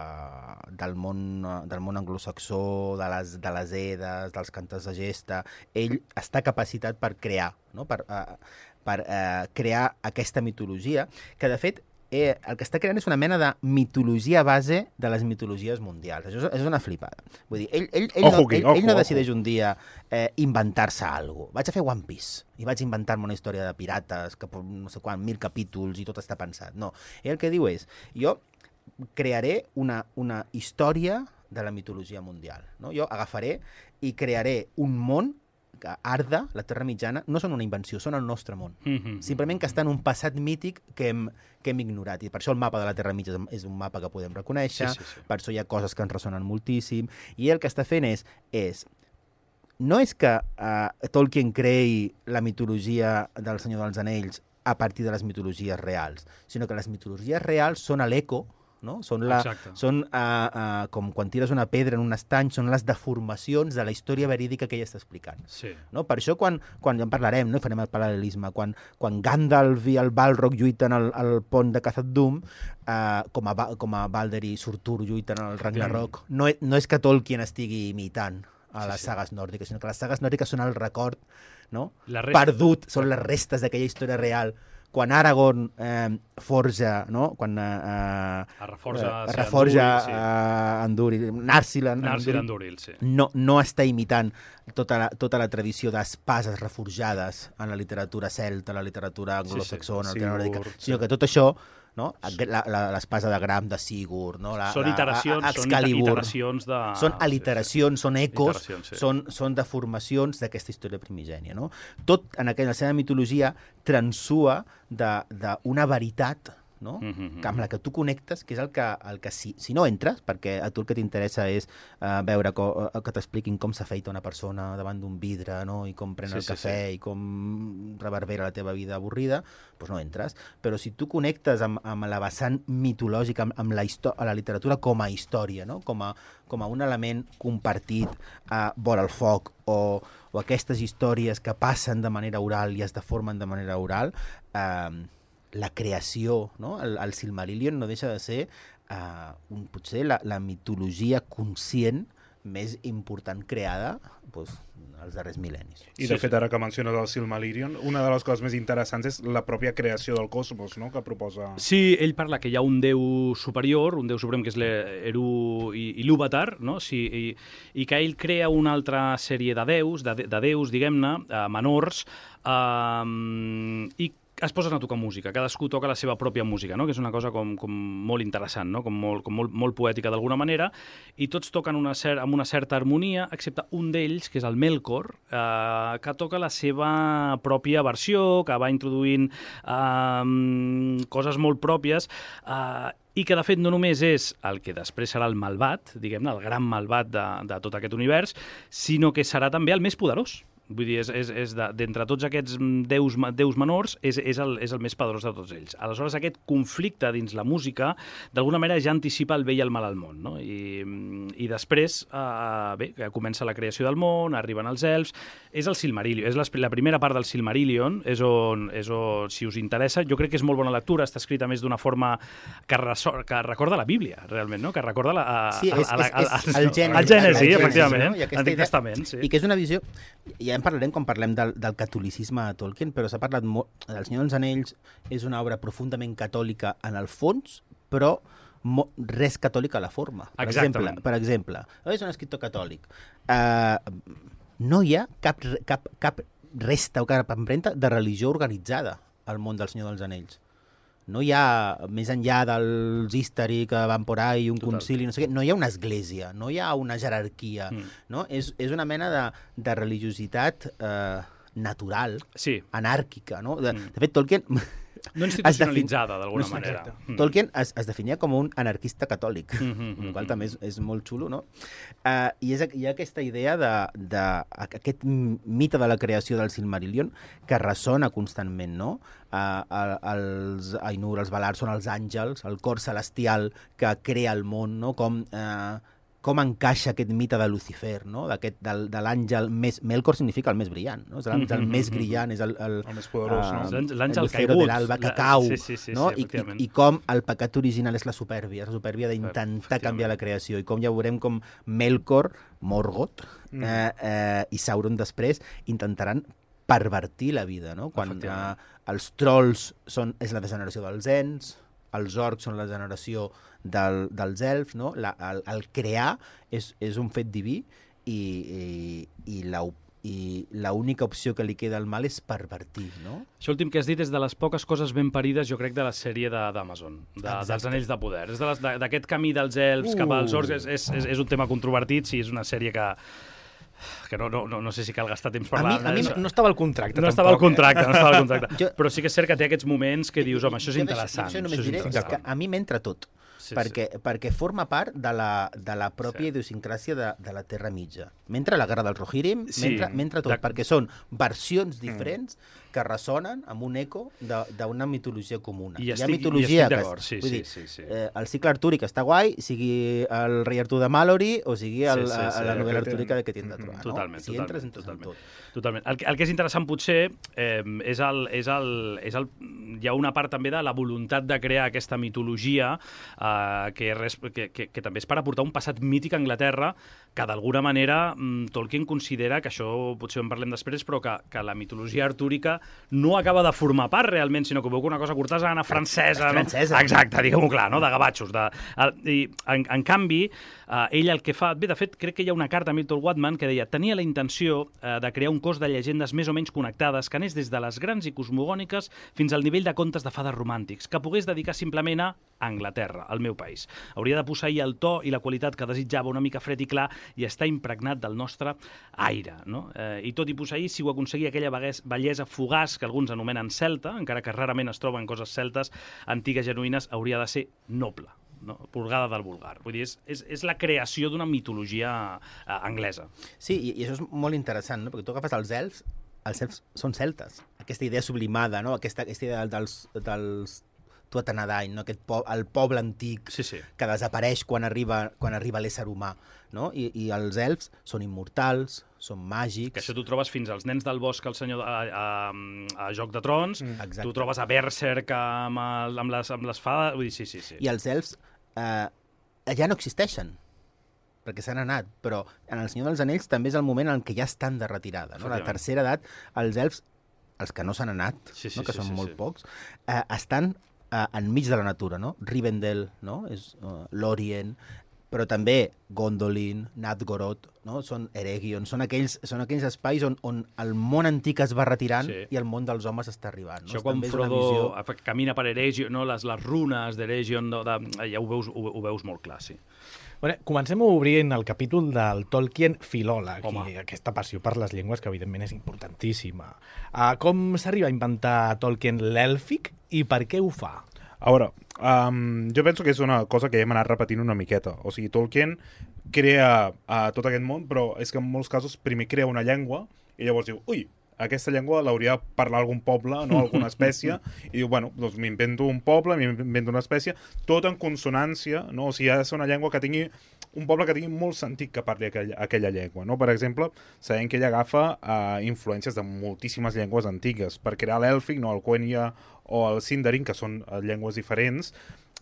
del, món, del món anglosaxó, de les, de les edes, dels cantors de gesta, ell està capacitat per crear, no? per, uh, per uh, crear aquesta mitologia, que de fet Eh, el que està creant és una mena de mitologia base de les mitologies mundials. Això és, és una flipada. Vull dir, ell, ell, ell, Ojo no, aquí, ell, ojo, ell no ojo. decideix un dia eh, inventar-se alguna cosa. Vaig a fer One Piece i vaig inventar-me una història de pirates que no sé quan, mil capítols i tot està pensat. No. Ell el que diu és, jo crearé una, una història de la mitologia mundial. No? Jo agafaré i crearé un món que Arda, la Terra Mitjana, no són una invenció, són el nostre món. Mm-hmm. Simplement que està en un passat mític que hem, que hem ignorat. I per això el mapa de la Terra Mitjana és un mapa que podem reconèixer, Sí, sí, sí. per això hi ha coses que ens ressonen moltíssim, i el que està fent és, és no és que uh, Tolkien creï la mitologia del Senyor dels Anells a partir de les mitologies reals, sinó que les mitologies reals són a l'eco, no? Són, la, Exacte. són uh, uh, com quan tires una pedra en un estany, són les deformacions de la història verídica que ella està explicant. Sí. No? Per això, quan, quan ja en parlarem, no farem el paral·lelisme, quan, quan Gandalf i el Balrog lluiten al, al pont de Khazad-dûm, uh, com, a, Ba- com a Balder i Surtur lluiten al Ragnarok, no, e- no és que Tolkien estigui imitant a les Sí, sí. sagues nòrdiques, sinó que les sagues nòrdiques són el record, no? La resta- perdut, són les restes d'aquella història real. Quan Aragorn eh, forja, no? Quan eh, Es reforja, eh, sí, reforja Andúril, sí. eh, Andúril, Narsil, Narsil Andúril, sí. no, no està imitant tota la, tota la tradició d'espases reforjades en la literatura celta, en la literatura anglosaxona, Sí, sí, sí, sí. nòrdica, Sigurd, sinó sí. que tot això, no? La- la- l'espasa de Gram de Sigurd, no? La, Són la- iteracions, a- són Excalibur. iteracions de... Són aliteracions, són ecos, Iteracions, sí. són, són deformacions d'aquesta història primigènia. No? Tot en aquella, la seva mitologia transua d'una veritat no? Mm-hmm. Que amb la que tu connectes, que és el que, el que si, si no entres, perquè a tu el que t'interessa és uh, veure co, uh, que t'expliquin com s'afeita una persona davant d'un vidre, no? I com pren Sí, el sí, cafè sí. i com reverbera la teva vida avorrida, doncs no entres. Però si tu connectes amb, amb la vessant mitològica, amb, amb la, a la literatura com a història, no? com, a, com a un element compartit uh, vora el foc, o, o aquestes històries que passen de manera oral i es deformen de manera oral, eh, la creació, no? el, el Silmarillion no deixa de ser eh, un, potser la, la mitologia conscient més important creada doncs, als darrers mil·lennis. I de fet, ara que menciones el Silmarillion, una de les coses més interessants és la pròpia creació del cosmos, no?, que proposa... Sí, ell parla que hi ha un déu superior, un déu suprem que és l'Eru Ilúvatar, no? Sí, i, i que ell crea una altra sèrie de déus, de, de déus, diguem-ne, eh, menors, eh, i es posen a tocar música, cadascú toca la seva pròpia música, no? Que és una cosa com, com molt interessant, no? Com, molt, com molt, molt poètica d'alguna manera, i tots toquen una cer amb una certa harmonia, excepte un d'ells, que és el Melkor, eh, que toca la seva pròpia versió, que va introduint eh, coses molt pròpies, eh, i que, de fet, no només és el que després serà el malvat, diguem-ne, el gran malvat de, de tot aquest univers, sinó que serà també el més poderós. Vull dir, és, és, és d'entre tots aquests déus, déus menors, és, és, el, és el més poderós de tots ells. Aleshores, aquest conflicte dins la música, d'alguna manera, ja anticipa el bé i el mal al món, no? I, i després, eh, bé, comença la creació del món, arriben els elfs, és el Silmarillion, és la, la primera part del Silmarillion, és on, és on, si us interessa, jo crec que és molt bona lectura, està escrita més d'una forma que, resor, que recorda la Bíblia, realment, no? Que recorda la, a, sí, és, a, a, a, és, és el Gènesi, el Gènesi, efectivament, no? l'Antic idea... Testament, sí. I que és una visió... Ja en parlarem quan parlem del, del catolicisme a Tolkien, però s'ha parlat molt... El Senyor dels Anells és una obra profundament catòlica en el fons, però mo, res catòlic a la forma. Per Exactament. exemple, per exemple, és un escriptor catòlic. Uh, no hi ha cap, cap, cap resta o cap empremta de religió organitzada al món del Senyor dels Anells. No hi ha, més enllà dels Istari que van por ahí, un Total. concili, no sé què, no hi ha una església, no hi ha una jerarquia, Mm. no? És, és una mena de, de religiositat eh, natural, Sí. anàrquica, no? De, Mm. de fet, Tolkien... No institucionalitzada, d'alguna No, manera. exacte. Tolkien es, es definia com un anarquista catòlic, Mm -hmm, el qual també és, és molt xulo, no? Uh, I és, hi ha aquesta idea de, de aquest mite de la creació del Silmarillion que ressona constantment, no? Uh, els Ainur, els Valar, són els àngels, el cor celestial que crea el món, no? Com... Uh, com encaixa aquest mite de Lucifer, no? D'aquest, del, de l'àngel més... Melkor significa el més brillant, no? És l'àngel Mm-hmm, més mm-hmm. brillant, és el... El, El més poderós, uh, no? L'àngel- l'àngel el lucero caigut. de l'alba que La- cau, sí, sí, sí, no? sí, I, efectivament. i, I com el pecat original és la supèrbia, la supèrbia d'intentar Efectivament. canviar la creació, i com ja veurem com Melkor, Morgoth Mm. eh, eh, i Sauron després intentaran pervertir la vida, no? Quan eh, Efectivament. els trolls són, és la degeneració dels ens, els orcs són la generació del, dels elfs, no? La, el, el crear és, és un fet diví i, i, i la i l'única opció que li queda al mal és pervertir, no? Això últim que has dit és de les poques coses ben parides, jo crec, de la sèrie d'Amazon, de, de, dels Anells de Poder. És de les- de- d'aquest camí dels elfs uh. cap als orcs, és, és, és, és un tema controvertit, sí, és una sèrie que que no, no, no, no sé si cal gastar temps A mi- parlant. a mi d'això. No estava al contracte, No estava al tampoc, eh? contracte, no estava al contracte. Jo- Però sí que és cert que té aquests moments que dius, home, això és Jo interessant. Això, això només això és diré és interessant. que a mi m'entra tot. Sí, perquè, perquè forma part de la, de la pròpia Sí. idiosincràsia de, de la Terra Mitja. Mentre la Guerra dels Rohirrim, Sí. mentre, mentre tot, De- perquè són versions diferents que ressonen amb un eco de- d'una mitologia comuna. I Hi ha estic- i mitologia estic que... d'acord, sí, vull sí, dir, sí, sí. Eh, el cicle artúric està guai, sigui el rei Artur de Malory o sigui el, Sí, sí, sí, a, la novel·la aquest- artúrica de que tindrà Mhm. trobar. Totalment, no? Si totalment, entres, entres en totalment. tot. Totalment. El, que- el que és interessant potser eh, és, el, és, el, és el... Hi ha una part també de la voluntat de crear aquesta mitologia eh, que, res, que, que, que també és per aportar un passat mític a Anglaterra que d'alguna manera mm, Tolkien considera, que això potser en parlem després, però que, que la mitologia artúrica no acaba de formar part realment, sinó que veu que una cosa cortesana, francesa... És francesa. No? Exacte, diguem-ho clar, no? De gavatxos. De, el, I, en, en canvi, eh, ell el que fa... Bé, de fet, crec que hi ha una carta a Milton Watman que deia tenia la intenció eh, de crear un cos de llegendes més o menys connectades que anés des de les grans i cosmogòniques fins al nivell de contes de fades romàntics, que pogués dedicar simplement a Anglaterra, el meu país. Hauria de posseir el to i la qualitat que desitjava, una mica fred i clar, i està impregnat del nostre aire. No? Eh, I tot i posseir, si ho aconseguia aquella bellesa fugaç que alguns anomenen celta, encara que rarament es troben coses celtes antigues genuïnes, hauria de ser noble. No? Purgada del vulgar. Vull dir, és, és, és la creació d'una mitologia eh, anglesa. Sí, i, i això és molt interessant, no? Perquè tu agafes els elfs, els elfs són celtes. Aquesta idea sublimada, no? Aquesta, aquesta idea dels, dels Tuatha-Dé, no? Aquest po el poble antic sí, sí. que desapareix quan arriba, quan arriba l'ésser humà. No? I, I els elfs són immortals, són màgics... Que això tu trobes fins als nens del bosc, al senyor a, a, a Joc de Trons, mm. tu trobes a Berserk amb, el, amb, les, amb les fades... Vull dir, sí, sí, sí. I els elfs eh, ja no existeixen, perquè s'han anat, però en El Senyor dels Anells també és el moment en què ja estan de retirada. No? La tercera edat, els elfs, els que no s'han anat, sí, sí, no? que sí, són sí, molt sí. pocs, eh, estan eh, enmig de la natura, no? Rivendell, no? És uh, l'Orient, però també Gondolin, Nadgorod, no? Són Eregion, són aquells, són aquells espais on, on el món antic es va retirant sí. i el món dels homes està arribant. No? Això quan Frodo visió... camina per Eregion, no? les, les runes d'Eregion, no? de... ja ho veus, ho, ho veus molt clar, sí. Bueno, comencem obrint el capítol del Tolkien filòleg, Home. i aquesta passió per les llengües, que evidentment és importantíssima. Uh, com s'arriba a inventar Tolkien l'èlfic i per què ho fa? A veure, um, jo penso que és una cosa que hem anat repetint una miqueta. O sigui, Tolkien crea uh, tot aquest món, però és que en molts casos primer crea una llengua i llavors diu, ui, aquesta llengua l'hauria de parlar algun poble, no? Alguna espècie, i diu, bueno, doncs m'invento un poble, m'invento una espècie, tot en consonància, no? O sigui, ha de ser una llengua que tingui, un poble que tingui molt sentit que parli aquella, aquella llengua, no? Per exemple, sabem que ella agafa uh, influències de moltíssimes llengües antigues per crear l'èlfic, no? El Quenya o el Sindarin, que són uh, llengües diferents,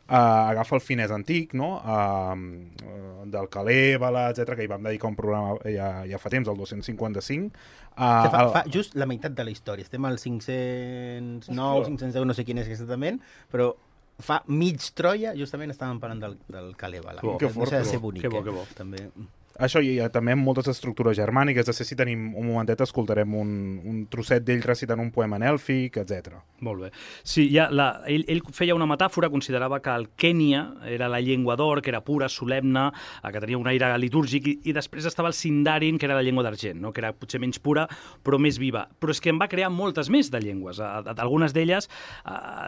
Uh, agafa el finès antic, no? uh, uh, del Calèbala, etcètera, que hi vam dedicar un programa ja, ja fa temps, el dos-cents cinquanta-cinc. Uh, fa, fa just la meitat de la història. Estem al cinc-cents nou, cinc-cents deu, no sé quin és exactament, però fa mig Troia, justament estàvem parlant del, del Calèbala. Que, que fort, deixa de ser bonic, que bo, que bo. Eh? També... Això i també amb moltes estructures germàniques. De ser, si tenim un momentet, escoltarem un, un trosset d'ell recitant un poema en èlfic, etcètera. Molt bé. Sí, ja la, ell, ell feia una metàfora, considerava que el Kènia era la llengua d'or, que era pura, solemne, que tenia un aire litúrgic, i, i després estava el Sindarin, que era la llengua d'argent, no? Que era potser menys pura, però més viva. Però és que en va crear moltes més de llengües. Algunes d'elles,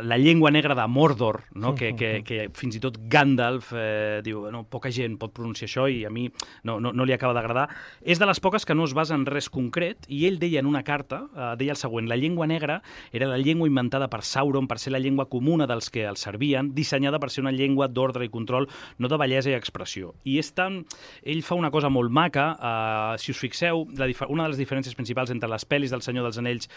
la llengua negra de Mordor, no? que, que, que fins i tot Gandalf eh, diu, no, poca gent pot pronunciar això i a mi no, no, no li acaba d'agradar. És de les poques que no es basa en res concret, i ell deia en una carta, eh, deia el següent: la llengua negra era la llengua inventada per Sauron per ser la llengua comuna dels que el servien, dissenyada per ser una llengua d'ordre i control, no de bellesa i expressió. I és tan... Ell fa una cosa molt maca, eh, si us fixeu, la una de les diferències principals entre les pel·lis del Senyor dels Anells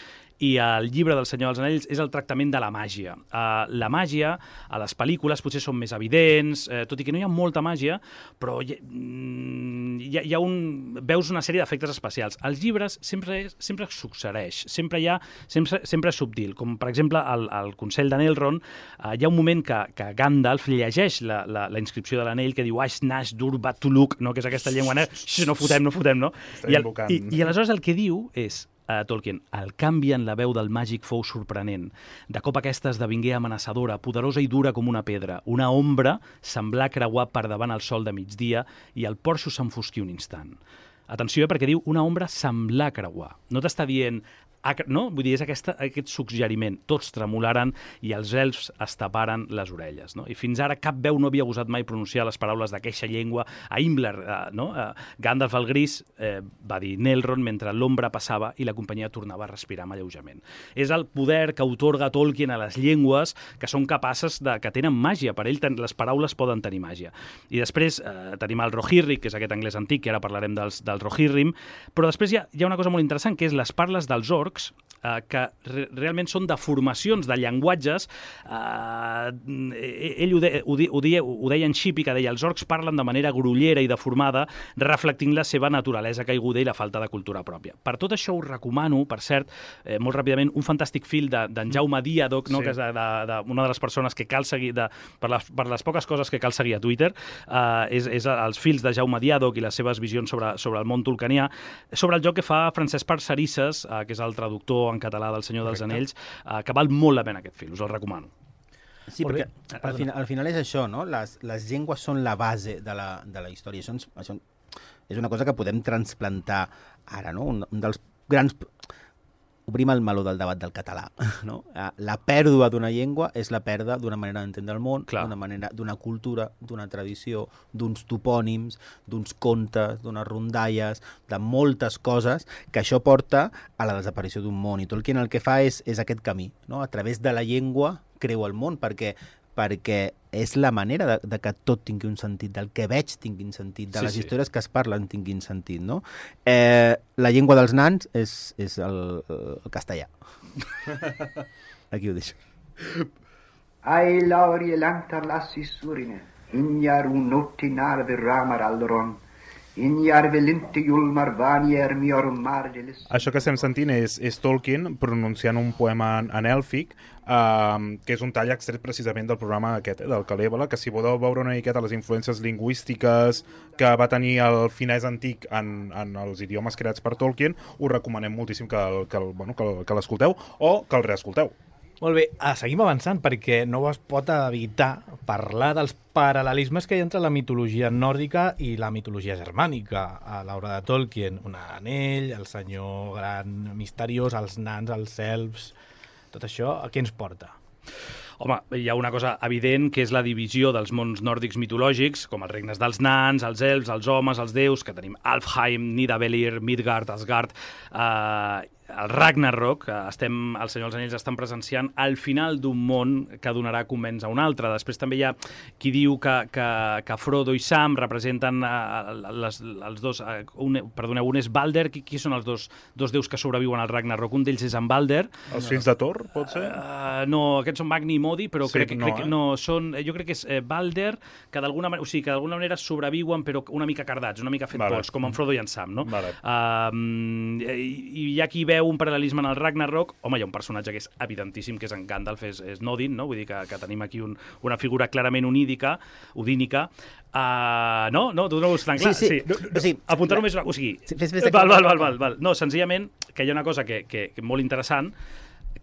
i el llibre del Senyor dels Anells és el tractament de la màgia. Eh, la màgia, a les pel·lícules, potser són més evidents, eh, tot i que no hi ha molta màgia, però hi, hi, ha, hi ha un... veus una sèrie d'efectes especials. Els llibres sempre, sempre succeeix, sempre hi ha... sempre, sempre és subtil, com per exemple al, al Consell d'Anelrond, eh, hi ha un moment que, que Gandalf llegeix la, la, la inscripció de l'anell que diu Ash Nash Dur Batuluk, no? Que és aquesta llengua negra, no fotem, no fotem, no? I, el, i, I aleshores el que diu és, a Tolkien, el canvi en la veu del màgic fou sorprenent. De cop aquesta esdevingué amenaçadora, poderosa i dura com una pedra. Una ombra semblà creuar per davant el sol de migdia i el porxo s'enfosquí un instant. Atenció, eh, perquè diu una ombra semblar creuar. No t'està dient... No? Vull dir, és aquesta, aquest suggeriment. Tots tremolaren i els elfs es taparen les orelles. No? I fins ara cap veu no havia gosat mai pronunciar les paraules d'aquesta llengua. A Himmler, eh, no? eh, Gandalf el Gris, eh, va dir Nelrond mentre l'ombra passava i la companyia tornava a respirar amb alleujament. És el poder que otorga Tolkien a les llengües que són capaces de... que tenen màgia. Per ell les paraules poden tenir màgia. I després eh, tenim el Rohirrim, que és aquest anglès antic, que ara parlarem dels, del Rohirrim, però després hi ha, hi ha una cosa molt interessant, que és les parles dels orcs, Eh, que re realment són deformacions de llenguatges. Eh, ell ho, de ho, de ho, deia, ho deia en Shippey, que deia els orcs parlen de manera grollera i deformada, reflectint la seva naturalesa caiguda i la falta de cultura pròpia. Per tot això us recomano, per cert, eh, molt ràpidament, un fantàstic fil d'en de, Jaume Diadoc, no? Sí. Que és de, de, de, una de les persones que cal seguir, de, per, les, per les poques coses que cal seguir a Twitter, eh, és, és els fils de Jaume Diadoc i les seves visions sobre, sobre el món tolkienià, sobre el joc que fa Francesc Parcerisses, eh, que és el traductor en català del Senyor dels Anells, eh, que val molt la pena aquest fil, us el recomano. Sí, Molt perquè bé. al final, al final és això, no? Les, les llengües són la base de la, de la història. Això, ens, això és una cosa que podem transplantar ara, no? Un, un dels grans... Obrim el meló del debat del català, no? La pèrdua d'una llengua és la pèrdua d'una manera d'entendre el món, d'una manera, d'una cultura, d'una tradició, d'uns topònims, d'uns contes, d'unes rondalles, de moltes coses, que això porta a la desaparició d'un món. I Tolkien el que fa és, és aquest camí, no? A través de la llengua creu el món, perquè perquè és la manera de, de que tot tingui un sentit, del que veig tinguin sentit, de Sí, les sí. històries que es parlen tinguin sentit, no? Eh, la llengua dels nans és, és el, el castellà. Aquí ho deixo. Ai lauri lantar lassi surine, injar un notti narve ramar alderon, injar velinti julmar vanier mior margelis. Això que estem sentint és, és Tolkien pronunciant un poema en, en èlfic, uh, que és un tall extret precisament del programa aquest, eh, del Calèbala, que si voleu veure una miqueta les influències lingüístiques que va tenir el finès antic en, en els idiomes creats per Tolkien, us recomanem moltíssim que, el, que, el, bueno, que, el, que l'escolteu o que el reescolteu. Molt bé, ah, seguim avançant perquè no es pot evitar parlar dels paral·lelismes que hi ha entre la mitologia nòrdica i la mitologia germànica a l'obra de Tolkien. Un anell, el senyor gran misteriós, els nans, els elfs... Tot això, a què ens porta? Home, hi ha una cosa evident, que és la divisió dels mons nòrdics mitològics, com els regnes dels nans, els elfs, els homes, els déus, que tenim Alfheim, Nidavellir, Midgard, Asgard, eh, el Ragnarok, que estem, el Senyor dels Anells estan presenciant el final d'un món que donarà començ a un altre. Després també hi ha qui diu que, que, que Frodo i Sam representen uh, les, els dos... Uh, un, perdoneu, un és Balder. Qui, qui són els dos, dos déus que sobreviuen al Ragnarok? Un d'ells és en Balder. Els fills de Thor, pot ser? Uh, no, aquests són Magni i Modi, però Sí, crec, no, crec que eh? no, són, jo crec que és eh, Balder, que d'alguna manera, o sigui, que d'alguna manera sobreviuen, però una mica cardats, una mica fet Vale. pols, com en Frodo i en Sam, no? Vale. Uh, i, I hi ha qui veu un paral·lelisme en el Ragnarok. Home, hi ha un personatge que és evidentíssim, que és en Gandalf, és, és Nodin, no? Vull dir que, que tenim aquí un, una figura clarament onídica, odínica. Uh, no? No? Tu no ho veus tan clar? Sí, sí. No, no, O sigui, apuntar només una... O sigui, Sí, fes- fes- val, val, val, val, val. No, senzillament, que hi ha una cosa que, que, que molt interessant,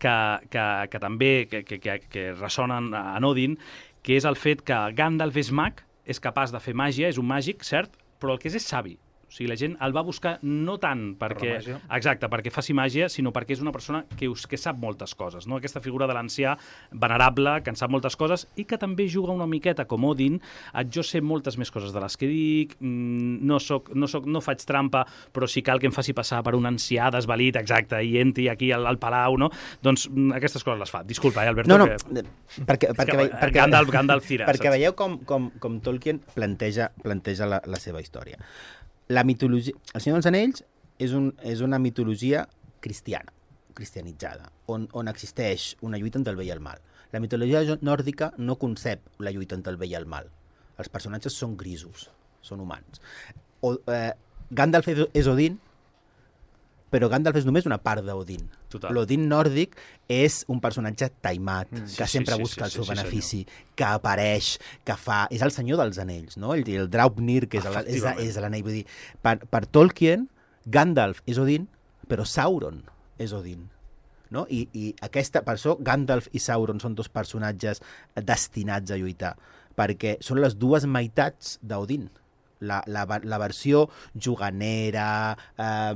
que, que, que també que, que, que, que ressonen a Odin, que és el fet que Gandalf és mag, és capaç de fer màgia, és un màgic, cert, però el que és és savi. O sigui, la gent el va buscar no tant perquè, màgia. exacte, perquè faci màgia, sinó perquè és una persona que, us, que sap moltes coses, no? Aquesta figura de l'ancià venerable, que en sap moltes coses i que també juga una miqueta com Odin. Jo sé moltes més coses de les que dic, no, soc, no, soc, no faig trampa, però si cal que em faci passar per un ancià desvalit, exacte, i entri aquí al, al palau, no? Doncs aquestes coses les fa. Disculpa, eh, Alberto? No, no, que... perquè, perquè, que perquè, Gandalf- Gandalf tira, perquè saps? veieu com, com, com Tolkien planteja, planteja la, la seva història. La mitologia... El Senyor dels Anells és, un, és una mitologia cristiana, cristianitzada, on, on existeix una lluita entre el bé i el mal. La mitologia nòrdica no concep la lluita entre el bé i el mal. Els personatges són grisos, són humans. O, eh, Gandalf és, és Odin, però Gandalf és només una part d'Odin. Total. L'Odin nòrdic és un personatge taimat, mm, que sí, sempre sí, busca sí, el seu sí, sí, benefici, que apareix, que fa... És el senyor dels anells, no? El, el Draupnir, que és, el, és, és l'anell. Vull dir, per, per Tolkien, Gandalf és Odin, però Sauron és Odin. No? I, i aquesta, per això Gandalf i Sauron són dos personatges destinats a lluitar, perquè són les dues meitats d'Odin. La, la, la versió juganera, eh,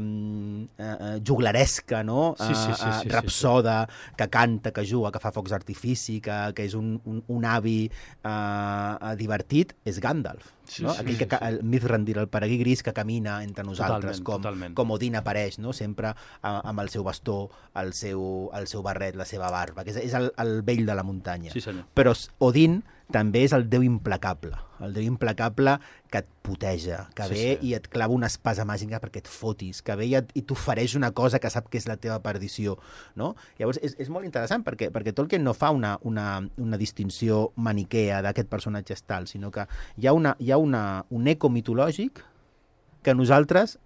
eh, juglaresca, no? Sí, sí, sí, sí, eh, sí, rapsoda, que canta, que juga, que fa focs d'artifici, que, que és un, un, un avi eh, divertit, és Gandalf. Sí, No? sí, Aquell sí, que, el Mithrandir, el peregrí gris que camina entre nosaltres, Totalment, com, totalment. com Odin apareix, no? Sempre eh, amb el seu bastó, el seu, el seu barret, la seva barba, que és, és el, el vell de la muntanya. Sí, senyor. Però Odin també és el déu implacable, el déu implacable que et puteja, que Sí, ve sí. i et clava una espasa màgica perquè et fotis, que ve i, et, i t'ofereix una cosa que sap que és la teva perdició, no? Llavors, és, és molt interessant perquè, perquè Tolkien no fa una, una, una distinció maniquea d'aquest personatge és tal, sinó que hi ha, una, hi ha una, un eco mitològic que nosaltres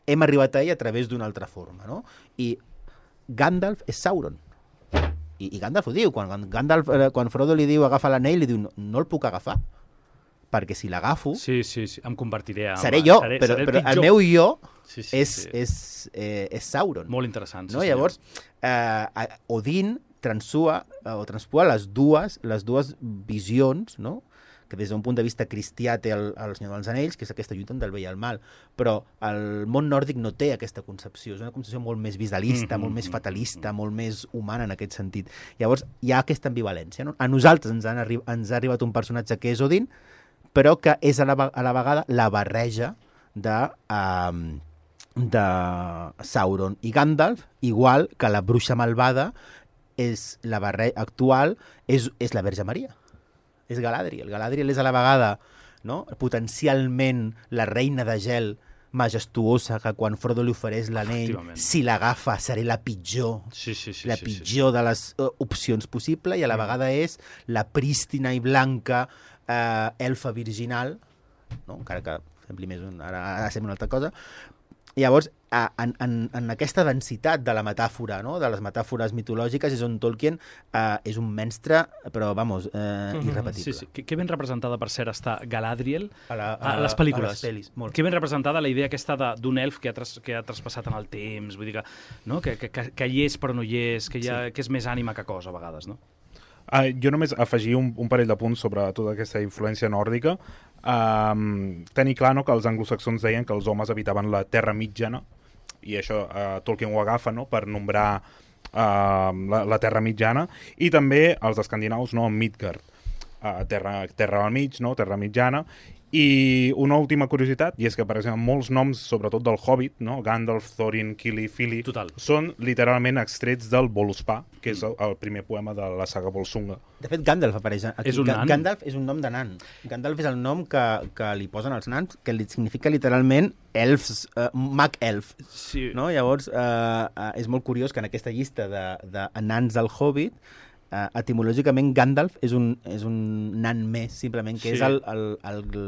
hem arribat a ell a través d'una altra forma, no? I Gandalf és Sauron. I, i Gandalf ho diu, quan, quan, Gandalf, eh, quan Frodo li diu agafa l'anell, li diu no, no el puc agafar, perquè si l'agafo Sí, sí, sí, em convertiré en... seré jo, seré, però, seré el però el pitjor. meu jo Sí, sí, és, sí. és, eh, és Sauron. Molt interessant. Sí, No? senyor. Llavors, eh, Odin transua, o transpua les dues, les dues visions, no? Que des d'un punt de vista cristià té el, el Senyor dels Anells, que és aquesta lluita del bé i el mal, però el món nòrdic no té aquesta concepció, és una concepció molt més visualista, mm-hmm. molt més fatalista, molt més humana en aquest sentit. Llavors hi ha aquesta ambivalència, no? A nosaltres ens, han arri ens ha arribat un personatge que és Odin, però que és a la, a la vegada la barreja de, um, de Sauron i Gandalf, igual que la bruixa malvada és la barreja actual, és, és la Verge Maria. És Galadriel. Galadriel és a la vegada, no? Potencialment la reina de gel majestuosa que quan Frodo li ofereix l'anell, si l'agafa seré la pitjor, sí, sí, sí, la sí, pitjor sí, sí. de les uh, opcions possibles, i a la vegada és la prístina i blanca uh, elfa virginal, no? Encara que sembli més un, ara, ara sembla una altra cosa. Llavors, en, en, en aquesta densitat de la metàfora, no? De les metàfores mitològiques, és on Tolkien eh, és un mestre, però, vamos, eh, irrepetible. Sí, sí. Que, que ben representada, per cert, està Galadriel a, la, a, a les pel·lícules. A les pel·lis, molt. Que ben representada la idea aquesta d'un elf que ha, tras, que ha traspassat en el temps, vull dir que, no? que, que, que hi és però no hi és, que, hi ha, sí. que és més ànima que cosa, a vegades, no? Uh, jo només afegir un, un parell de punts sobre tota aquesta influència nòrdica. Um, tenir clar, no, que els anglosaxons deien que els homes habitaven la Terra mitjana, i això uh, Tolkien ho agafa, no, per nombrar uh, la, la Terra mitjana, i també els escandinaus, no, Midgard, uh, terra, terra al mig, no, Terra mitjana. I una última curiositat, i és que, per exemple, molts noms, sobretot del Hobbit, no? Gandalf, Thorin, Kili, Fili, Total. són literalment extrets del Völuspá, que és el, el primer poema de la saga Volsunga. De fet, Gandalf apareix aquí. És un nan? Gandalf és un nom de nan. Gandalf és el nom que, que li posen els nans, que li significa literalment elfs, uh, mag elf. Sí. No? Llavors, uh, uh, és molt curiós que en aquesta llista de, de nans del Hobbit, Uh, etimològicament Gandalf és un, és un nan més, simplement, que sí. és el, el, el, el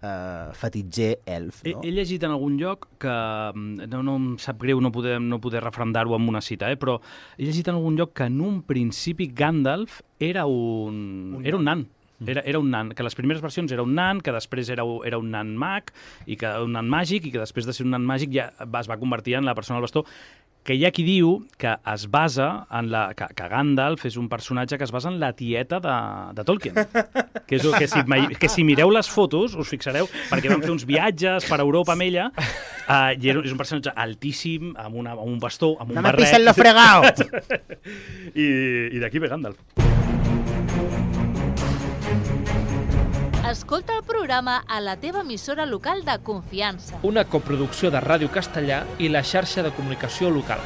uh, fatitger elf. No? He, he llegit en algun lloc que, no, no em sap greu no poder, no poder refrendar-ho amb una cita, eh, però he llegit en algun lloc que en un principi Gandalf era un, un era un nan. Era, era un nan, que les primeres versions era un nan, que després era, era un nan mag, i que un nan màgic, i que després de ser un nan màgic ja es va convertir en la persona al bastó, que hi ha qui diu que es basa en la... que, que Gandalf és un personatge que es basa en la tieta de, de Tolkien. Que, és, que, si, que si mireu les fotos, us fixareu, perquè van fer uns viatges per Europa amb ella, uh, i és un personatge altíssim, amb, una, amb un bastó, amb un no barret... No me pisen lo fregao! I, i d'aquí ve Gandalf. Escolta el programa a la teva emissora local de confiança. Una coproducció de Ràdio Castellà i la xarxa de comunicació local.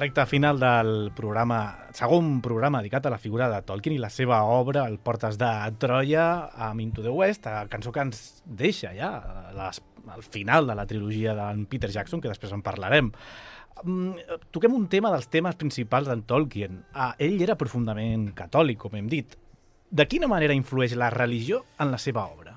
Recte final del programa, segon programa dedicat a la figura de Tolkien i la seva obra, el Portes de Troia, amb Into the West, a cançó que ens deixa ja les, al final de la trilogia d'en Peter Jackson, que després en parlarem. Mm, toquem un tema dels temes principals d'en Tolkien. Ah, ell era profundament catòlic, com hem dit. De quina manera influeix la religió en la seva obra?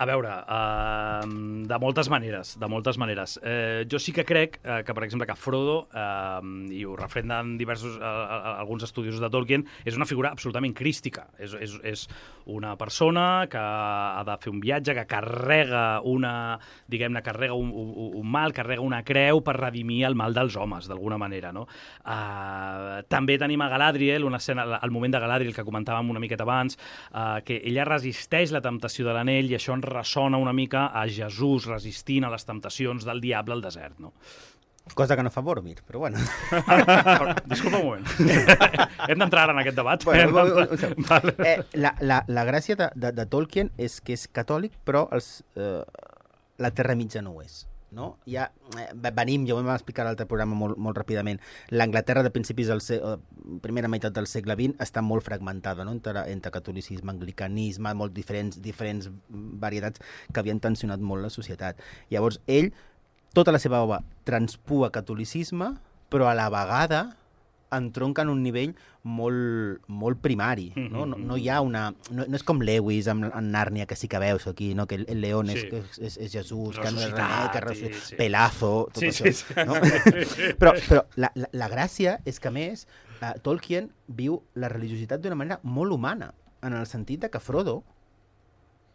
A veure, uh, de moltes maneres, de moltes maneres. Uh, jo sí que crec uh, que, per exemple, que Frodo, uh, i ho refrenden diversos, uh, alguns estudiosos de Tolkien, és una figura absolutament crística. És, és, és una persona que ha de fer un viatge, que carrega una, diguem-ne, carrega un, un, un mal, carrega una creu per redimir el mal dels homes, d'alguna manera, no? Uh, també tenim a Galadriel, una escena, el moment de Galadriel que comentàvem una miqueta abans, uh, que ella resisteix la temptació de l'anell i això ens ressona una mica a Jesús resistint a les temptacions del diable al desert, no? Cosa que no fa Boromir, però bueno. Ah, disculpa un moment. Hem d'entrar ara en aquest debat. Bueno, un, un, un vale. eh, la, la, la gràcia de, de, de Tolkien és que és catòlic, però els, eh, la Terra Mitja no ho és. No? Ja, eh, venim, ja ho vam explicar a l'altre programa molt, molt ràpidament, l'Anglaterra de principis del segle, primera meitat del segle vint està molt fragmentada, no? entre, entre catolicisme, anglicanisme, molt diferents, diferents varietats que havien tensionat molt la societat. Llavors, ell tota la seva obra transpua catolicisme, però a la vegada entronca en un nivell molt, molt primari. No? No, no hi ha una... No, no és com Lewis amb, amb Nàrnia, que sí que veus aquí, no? Que el, el león sí. és, és, és Jesús, que no és René, que ressuscitat, sí. Pelazo, tot sí, això. Sí, sí. No? però però la, la, la gràcia és que, a més, uh, Tolkien viu la religiositat d'una manera molt humana, en el sentit de que Frodo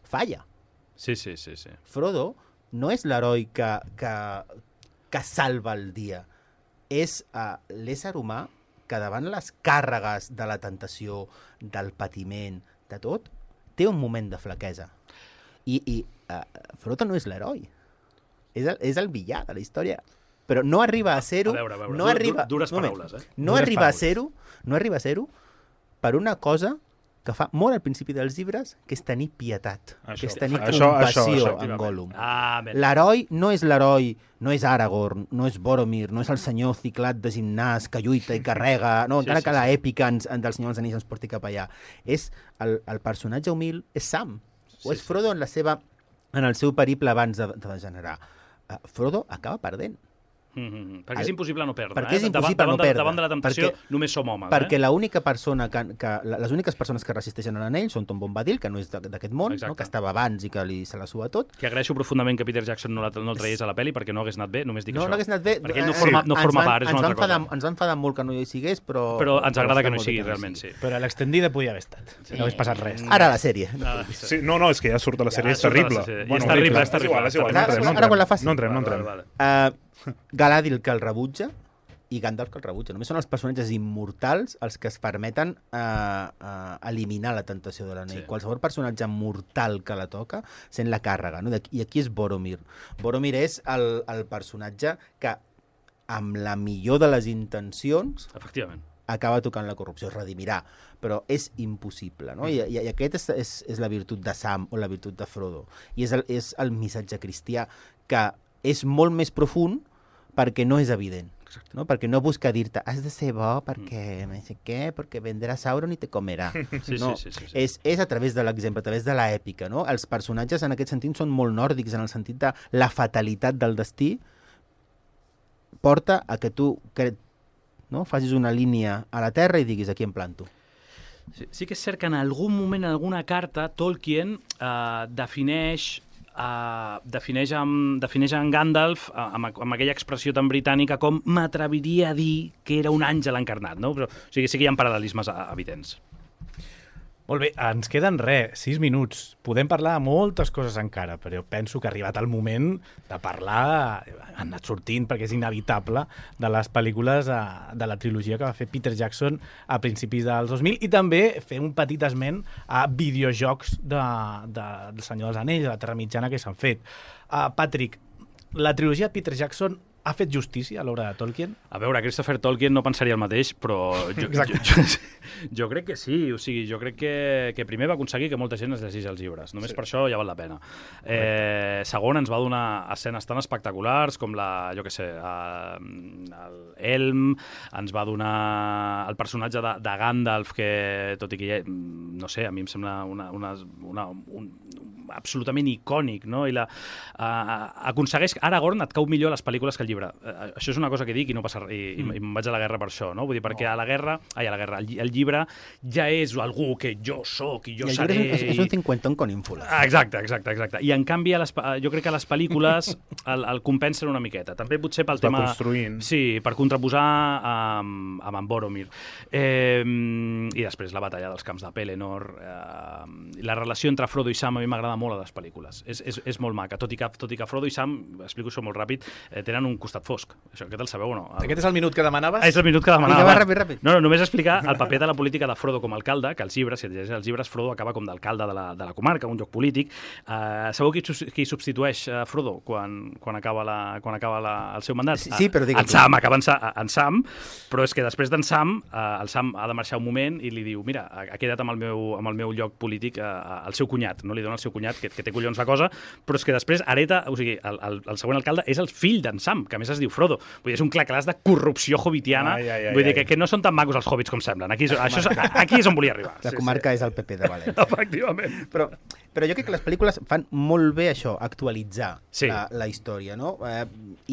falla. Sí, sí, sí. sí. Frodo no és l'heroi que, que, que salva el dia. És uh, l'ésser humà que davant les càrregues de la tentació, del patiment, de tot, té un moment de flaquesa. I, i uh, Frodo no és l'heroi. És el, és el villà de la història. Però no arriba a ser-ho... A veure, a veure. No arriba, dures moment, paraules, eh? No Dures arriba paraules. a ser-ho no arriba a ser-ho per una cosa que fa molt al principi dels llibres, que és tenir pietat, Això, que és tenir això, compassió això, això, en Gollum. Ah, ben. L'heroi no és l'heroi, no és Aragorn, no és Boromir, no és el senyor ciclat de gimnàs que lluita i carrega, no, Sí, encara sí, que sí. l'èpica ens, del Senyor dels Anells ens porti cap allà. És el, el personatge humil és Sam, o és Frodo en la seva en el seu periple abans de, de degenerar. Uh, Frodo acaba perdent. Mm -hmm. Perquè és impossible no perdre. Perquè eh? és impossible davant, no davant perdre. De, davant de la temptació perquè, només som homes. Perquè eh? l'única persona que, que... Les úniques persones que resisteixen a l'anell són Tom Bombadil, que no és d'aquest món, no? Que estava abans i que li, se la sua tot. Que agraeixo profundament que Peter Jackson no, la, no el tragués a la pel·li perquè no hagués anat bé, només dic no, això. No hagués anat bé. Perquè ell no forma, no ens forma van, part, és ens una va altra enfadar, cosa. ens va enfadar molt que no hi sigués, però... Però ens agrada que no hi molt sigui, que realment, sí. Però a l'extendida podia haver estat. Sí. No hagués passat res. Ara la sèrie. Ah, Sí, no, no, és que ja surt a la sèrie, Ja és surt a la terrible. sèrie. I és terrible, és terrible. igual, és igual, no Ara- entrem, no ara quan la entrem. faci. No entrem, no Vale, entrem. vale, vale. Uh, Galadriel, que el rebutja, i Gandalf, que el rebutja. Només són els personatges immortals els que es permeten uh, uh, eliminar la tentació de l'anell. Sí. Qualsevol personatge mortal que la toca sent la càrrega. No? I aquí és Boromir. Boromir és el, el personatge que, amb la millor de les intencions, Efectivament. acaba tocant la corrupció, es redimirà, però és impossible, no? I, i, i aquest és, és, és la virtut de Sam o la virtut de Frodo. I és el, és el missatge cristià, que és molt més profund perquè no és evident. No? Perquè no busca dir-te has de ser bo perquè no sé què, perquè vendrà Sauron i te comerà. Sí, no, sí, sí, sí, sí. És, és a través de l'exemple, a través de l'èpica. No? Els personatges en aquest sentit són molt nòrdics, en el sentit de la fatalitat del destí porta a que tu que, no? facis una línia a la Terra i diguis aquí em planto. Sí, sí que és cert que en algun moment, en alguna carta, Tolkien eh, defineix Uh, defineix, amb, defineix en Gandalf uh, amb, amb aquella expressió tan britànica com m'atreviria a dir que era un àngel encarnat, no? Però, o sigui, sí que hi ha paral·lelismes uh, evidents. Molt bé, ens queden res, sis minuts. Podem parlar de moltes coses encara, però penso que ha arribat el moment de parlar, ha anat sortint perquè és inevitable, de les pel·lícules de, de la trilogia que va fer Peter Jackson a principis dels dos mil i també fer un petit esment a videojocs de, de, del Senyor dels Anells, de la Terra Mitjana que s'han fet. Uh, Patrick, la trilogia de Peter Jackson ha fet justícia a l'obra de Tolkien? A veure, Christopher Tolkien no pensaria el mateix, però jo, jo, jo, jo crec que sí. O sigui, jo crec que, que primer va aconseguir que molta gent es llegís els llibres. Només sí. per això ja val la pena. Eh, segon, ens va donar escenes tan espectaculars com la, jo què sé, el Elm, ens va donar el personatge de, de Gandalf, que tot i que ja, no sé, a mi em sembla una, una, una, un, absolutament icònic, no? I la, uh, aconsegueix... Aragorn et cau millor a les pel·lícules que el llibre. Uh, això és una cosa que dic i no passa res, i, mm. i, i em vaig a la guerra per això, no? Vull dir, perquè a la guerra... Ai, a la guerra, el, el llibre ja és algú que jo sóc i jo I el seré... llibre és, és un cinquantón con ínfules. Ah, exacte, exacte, exacte. I en canvi, a les, jo crec que a les pel·lícules el, el compensen una miqueta. També potser pel Es va tema... construint. Sí, per contraposar amb, amb en Boromir. Eh, I després la batalla dels camps de Pelennor, eh, la relació entre Frodo i Sam a mi m'agrada molt a les pel·lícules. És, és, és molt maca, tot i, que, tot i que Frodo i Sam, explico això molt ràpid, eh, tenen un costat fosc. Això, aquest el sabeu o no? El... Aquest és el minut que demanaves? Ah, és el minut que demanava. Vinga, va, ràpid, ràpid. No, no, només explicar el paper de la política de Frodo com a alcalde, que els llibres, si et llegeixes els llibres, Frodo acaba com d'alcalde de, la, de la comarca, un lloc polític. Uh, sabeu qui, qui substitueix uh, Frodo quan, quan acaba, la, quan acaba la, el seu mandat? Sí, sí, però digue'm. En Sam, acaba en, Sa, en Sam, però és que després d'en Sam, uh, el Sam ha de marxar un moment i li diu, mira, ha quedat amb el meu, amb el meu lloc polític uh, el seu cunyat, no li dona el seu cunyat, que, que té collons la cosa, però és que després hereta, o sigui, el, el, el següent alcalde és el fill d'en Sam, que a més es diu Frodo. Vull dir, és un clar-clars de corrupció hobbitiana. Ai, ai, ai, Vull dir ai. que, que no són tan macos els hobbits com semblen. Aquí, és- això, és- aquí és on volia arribar. La Sí, comarca sí. és el P P de València. Efectivament. Però, però jo crec que les pel·lícules fan molt bé això, actualitzar Sí. la, la història, no? Eh,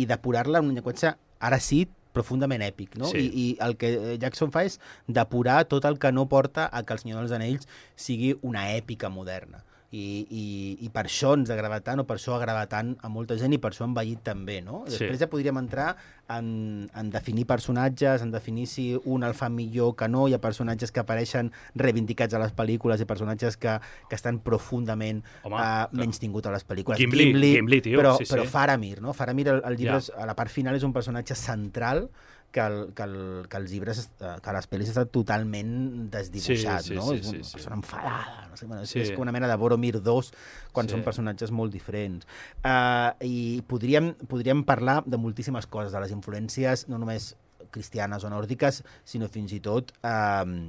I depurar-la en un llenguatge, ara sí, profundament èpic, no? Sí. I, I el que Jackson fa és depurar tot el que no porta a que El Senyor dels Anells sigui una èpica moderna. I, i, i per això ens agrada tant, o per això agrada tant a molta gent, i per això ha envellit també, no? Sí. Després ja podríem entrar en, en definir personatges, en definir si un el fa millor que no. Hi ha personatges que apareixen reivindicats a les pel·lícules i personatges que, que estan profundament Home, uh, clar. menystinguts a les pel·lícules. Gimli, Gimli, tio, però, sí, sí. però Faramir, no? Faramir, el, el llibre, Ja. és- a la part final, és un personatge central que, el, que, el, que els llibres, eh, que les pel·lis està totalment desdibuixat, Sí, sí, no? sí, és una sí, sí. persona enfadada, no sé, bueno, és, Sí. és com una mena de Boromir dos, quan Sí. són personatges molt diferents. Uh, I podríem, podríem parlar de moltíssimes coses, de les influències no només cristianes o nòrdiques, sinó fins i tot uh,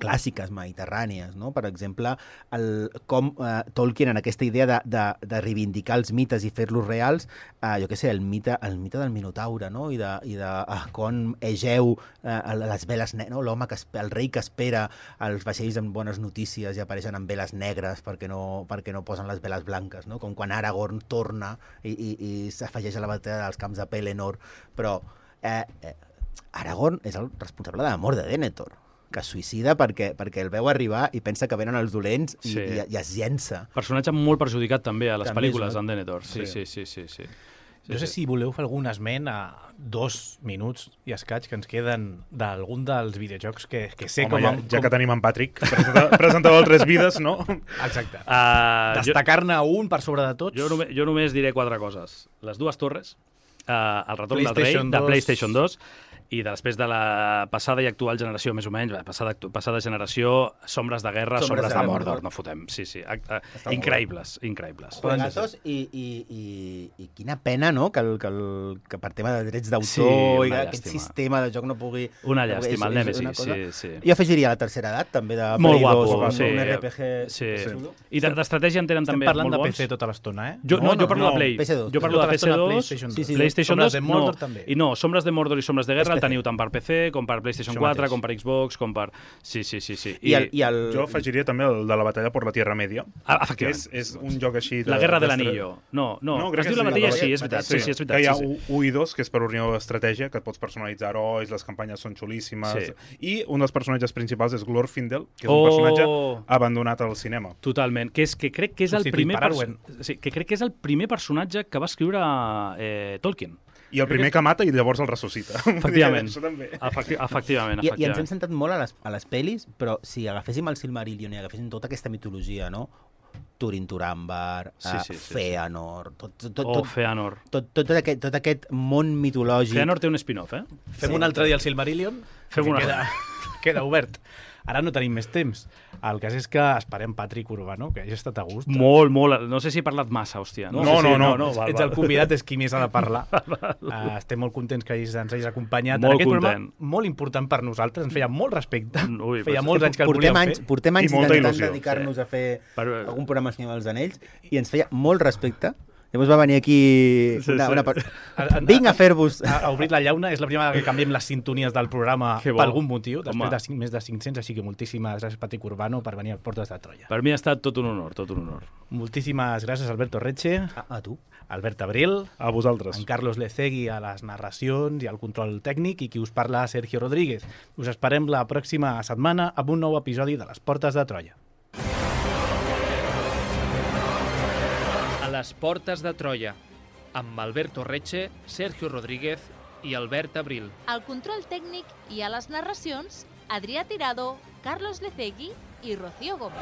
clàssiques mediterrànies, no? Per exemple, el, com eh, Tolkien, en aquesta idea de, de, de reivindicar els mites i fer-los reals, eh, jo què sé, el mite, el mite del Minotaure, no? I de, i de eh, com Egeu, eh, les veles negres, no? L'home que espe- el rei que espera els vaixells amb bones notícies i apareixen amb veles negres perquè no, perquè no posen les veles blanques, no? Com quan Aragorn torna i, i, i s'afegeix a la batalla dels camps de Pelennor, però eh, eh, Aragorn és el responsable de la mort de Denethor, que es suïcida perquè, perquè el veu arribar i pensa que venen els dolents i, Sí. i, i es llença. Personatge molt perjudicat també a les També, pel·lícules és, d'en Denethor. Sí, Sí. sí, sí, sí, sí. No sé si voleu fer algun esment a dos minuts i escaig que ens queden d'algun dels videojocs que, que sé Home, com... ja, com... ja que tenim en Patrick, presentador, presentador de Tres Vides, no? Exacte. Uh, jo, Destacar-ne un per sobre de tots. jo, només, jo només diré quatre coses. Les dues torres, uh, el retorn del rei, PlayStation de dos. PlayStation dos, i després de la passada i actual generació, més o menys, passada, passada generació, Sombres de Guerra, Sombres Sombres, de de, Mordor. Mordor, no fotem. Sí, sí, a, a, increïbles, increïbles. Juegazos i, i, i, i quina pena, no?, que, el, que, el, que per tema de drets d'autor Sí, i una aquest llàstima. sistema de joc no pugui... Una no pugui- llàstima, el és- és una Nemesis, cosa- sí, sí. Jo afegiria la tercera edat, també, de Molt Play guapo, dos, sí. un R P G... Sí. xulo. I de- d'estratègia en tenen Estem també parlant molt de bons. P C tota l'estona, eh? Jo, no, No, jo parlo no, de Play. P S dos. Jo parlo Tota de P S l'estona dos, PlayStation Sí, dos. sí. PlayStation Sombres dos, de Mordor no. també. I no, Sombres de Mordor i Sombres de Guerra És el P C. teniu tant per P C com per PlayStation Això quatre, mateix. com per Xbox, com per... Sí, sí, sí. sí. I, el, i el... Jo afegiria també el de la batalla per la Tierra Media, Ah, que efectivament. és, és un joc així... De, La Guerra de d'estra- l'Anillo. No, no, no crec es que diu la sí, batalla, la sí, és batalla- veritat. Sí, sí, és veritat. que hi ha sí, sí. u i dos, que és per unió d'estratègia, que et pots personalitzar herois, les campanyes són xulíssimes, Sí. i un dels personatges principals és Glorfindel, que és Oh! un personatge abandonat al cinema. Totalment, que, és, que crec que és el Substituït primer per perso- Arwen. sí, que crec que és el primer personatge que va escriure eh, Tolkien. I el primer que mata i llavors el ressuscita. Efectivament. Això també. Efecti efectivament, I, I ens hem efectivament. centrat molt a les, a les pel·lis, però si agaféssim el Silmarillion i agaféssim tota aquesta mitologia, no? Turin Turambar, Sí, sí, sí, sí, sí, sí. Feanor, tot, tot, tot, Oh, tot, Feanor. tot, tot, aquest, tot aquest món mitològic. Feanor té un spin-off, eh? Fem Sí. un altre dia el Silmarillion. Fem que una- Queda, queda obert. Ara no tenim més temps. El cas és que esperem Patrick Urbano, que hagi estat a gust. Molt, molt. No sé si he parlat massa, hòstia. No, sé si- no, no, no, Ets, val, ets val. el convidat, és qui més ha de parlar. uh, estem molt contents que hagis, ens hagis acompanyat. Molt en aquest programa content. molt important per nosaltres, ens feia molt respecte. Ui, feia pues- molts anys que el portem volíem anys, fer. portem anys I molta intentant il·lusió. dedicar-nos a fer Per- algun programa Senyor dels Anells i ens feia molt respecte. Llavors va venir aquí Sí, una, sí. una... per- A- a- Vinc a fer-vos... Ha, ha obrit la llauna, és la primera vegada que canviem les sintonies del programa Que bo. per algun motiu, després Home. de cinc, més de cinc-cents, així que moltíssimes gràcies Patrick Urbano per venir a Portes de Troia. Per mi ha estat tot un honor, tot un honor. Moltíssimes gràcies Alberto Reche, A, a tu. Albert Abril, A vosaltres. en Carlos Lecegui a les narracions i al control tècnic i qui us parla Sergio Rodríguez. Us esperem la pròxima setmana amb un nou episodi de les Portes de Troia. A les Portes de Troia, amb Alberto Reche, Sergio Rodríguez i Albert Abril. Al control tècnic i a les narracions, Adrià Tirado, Carlos Lecegui i Rocío Gómez.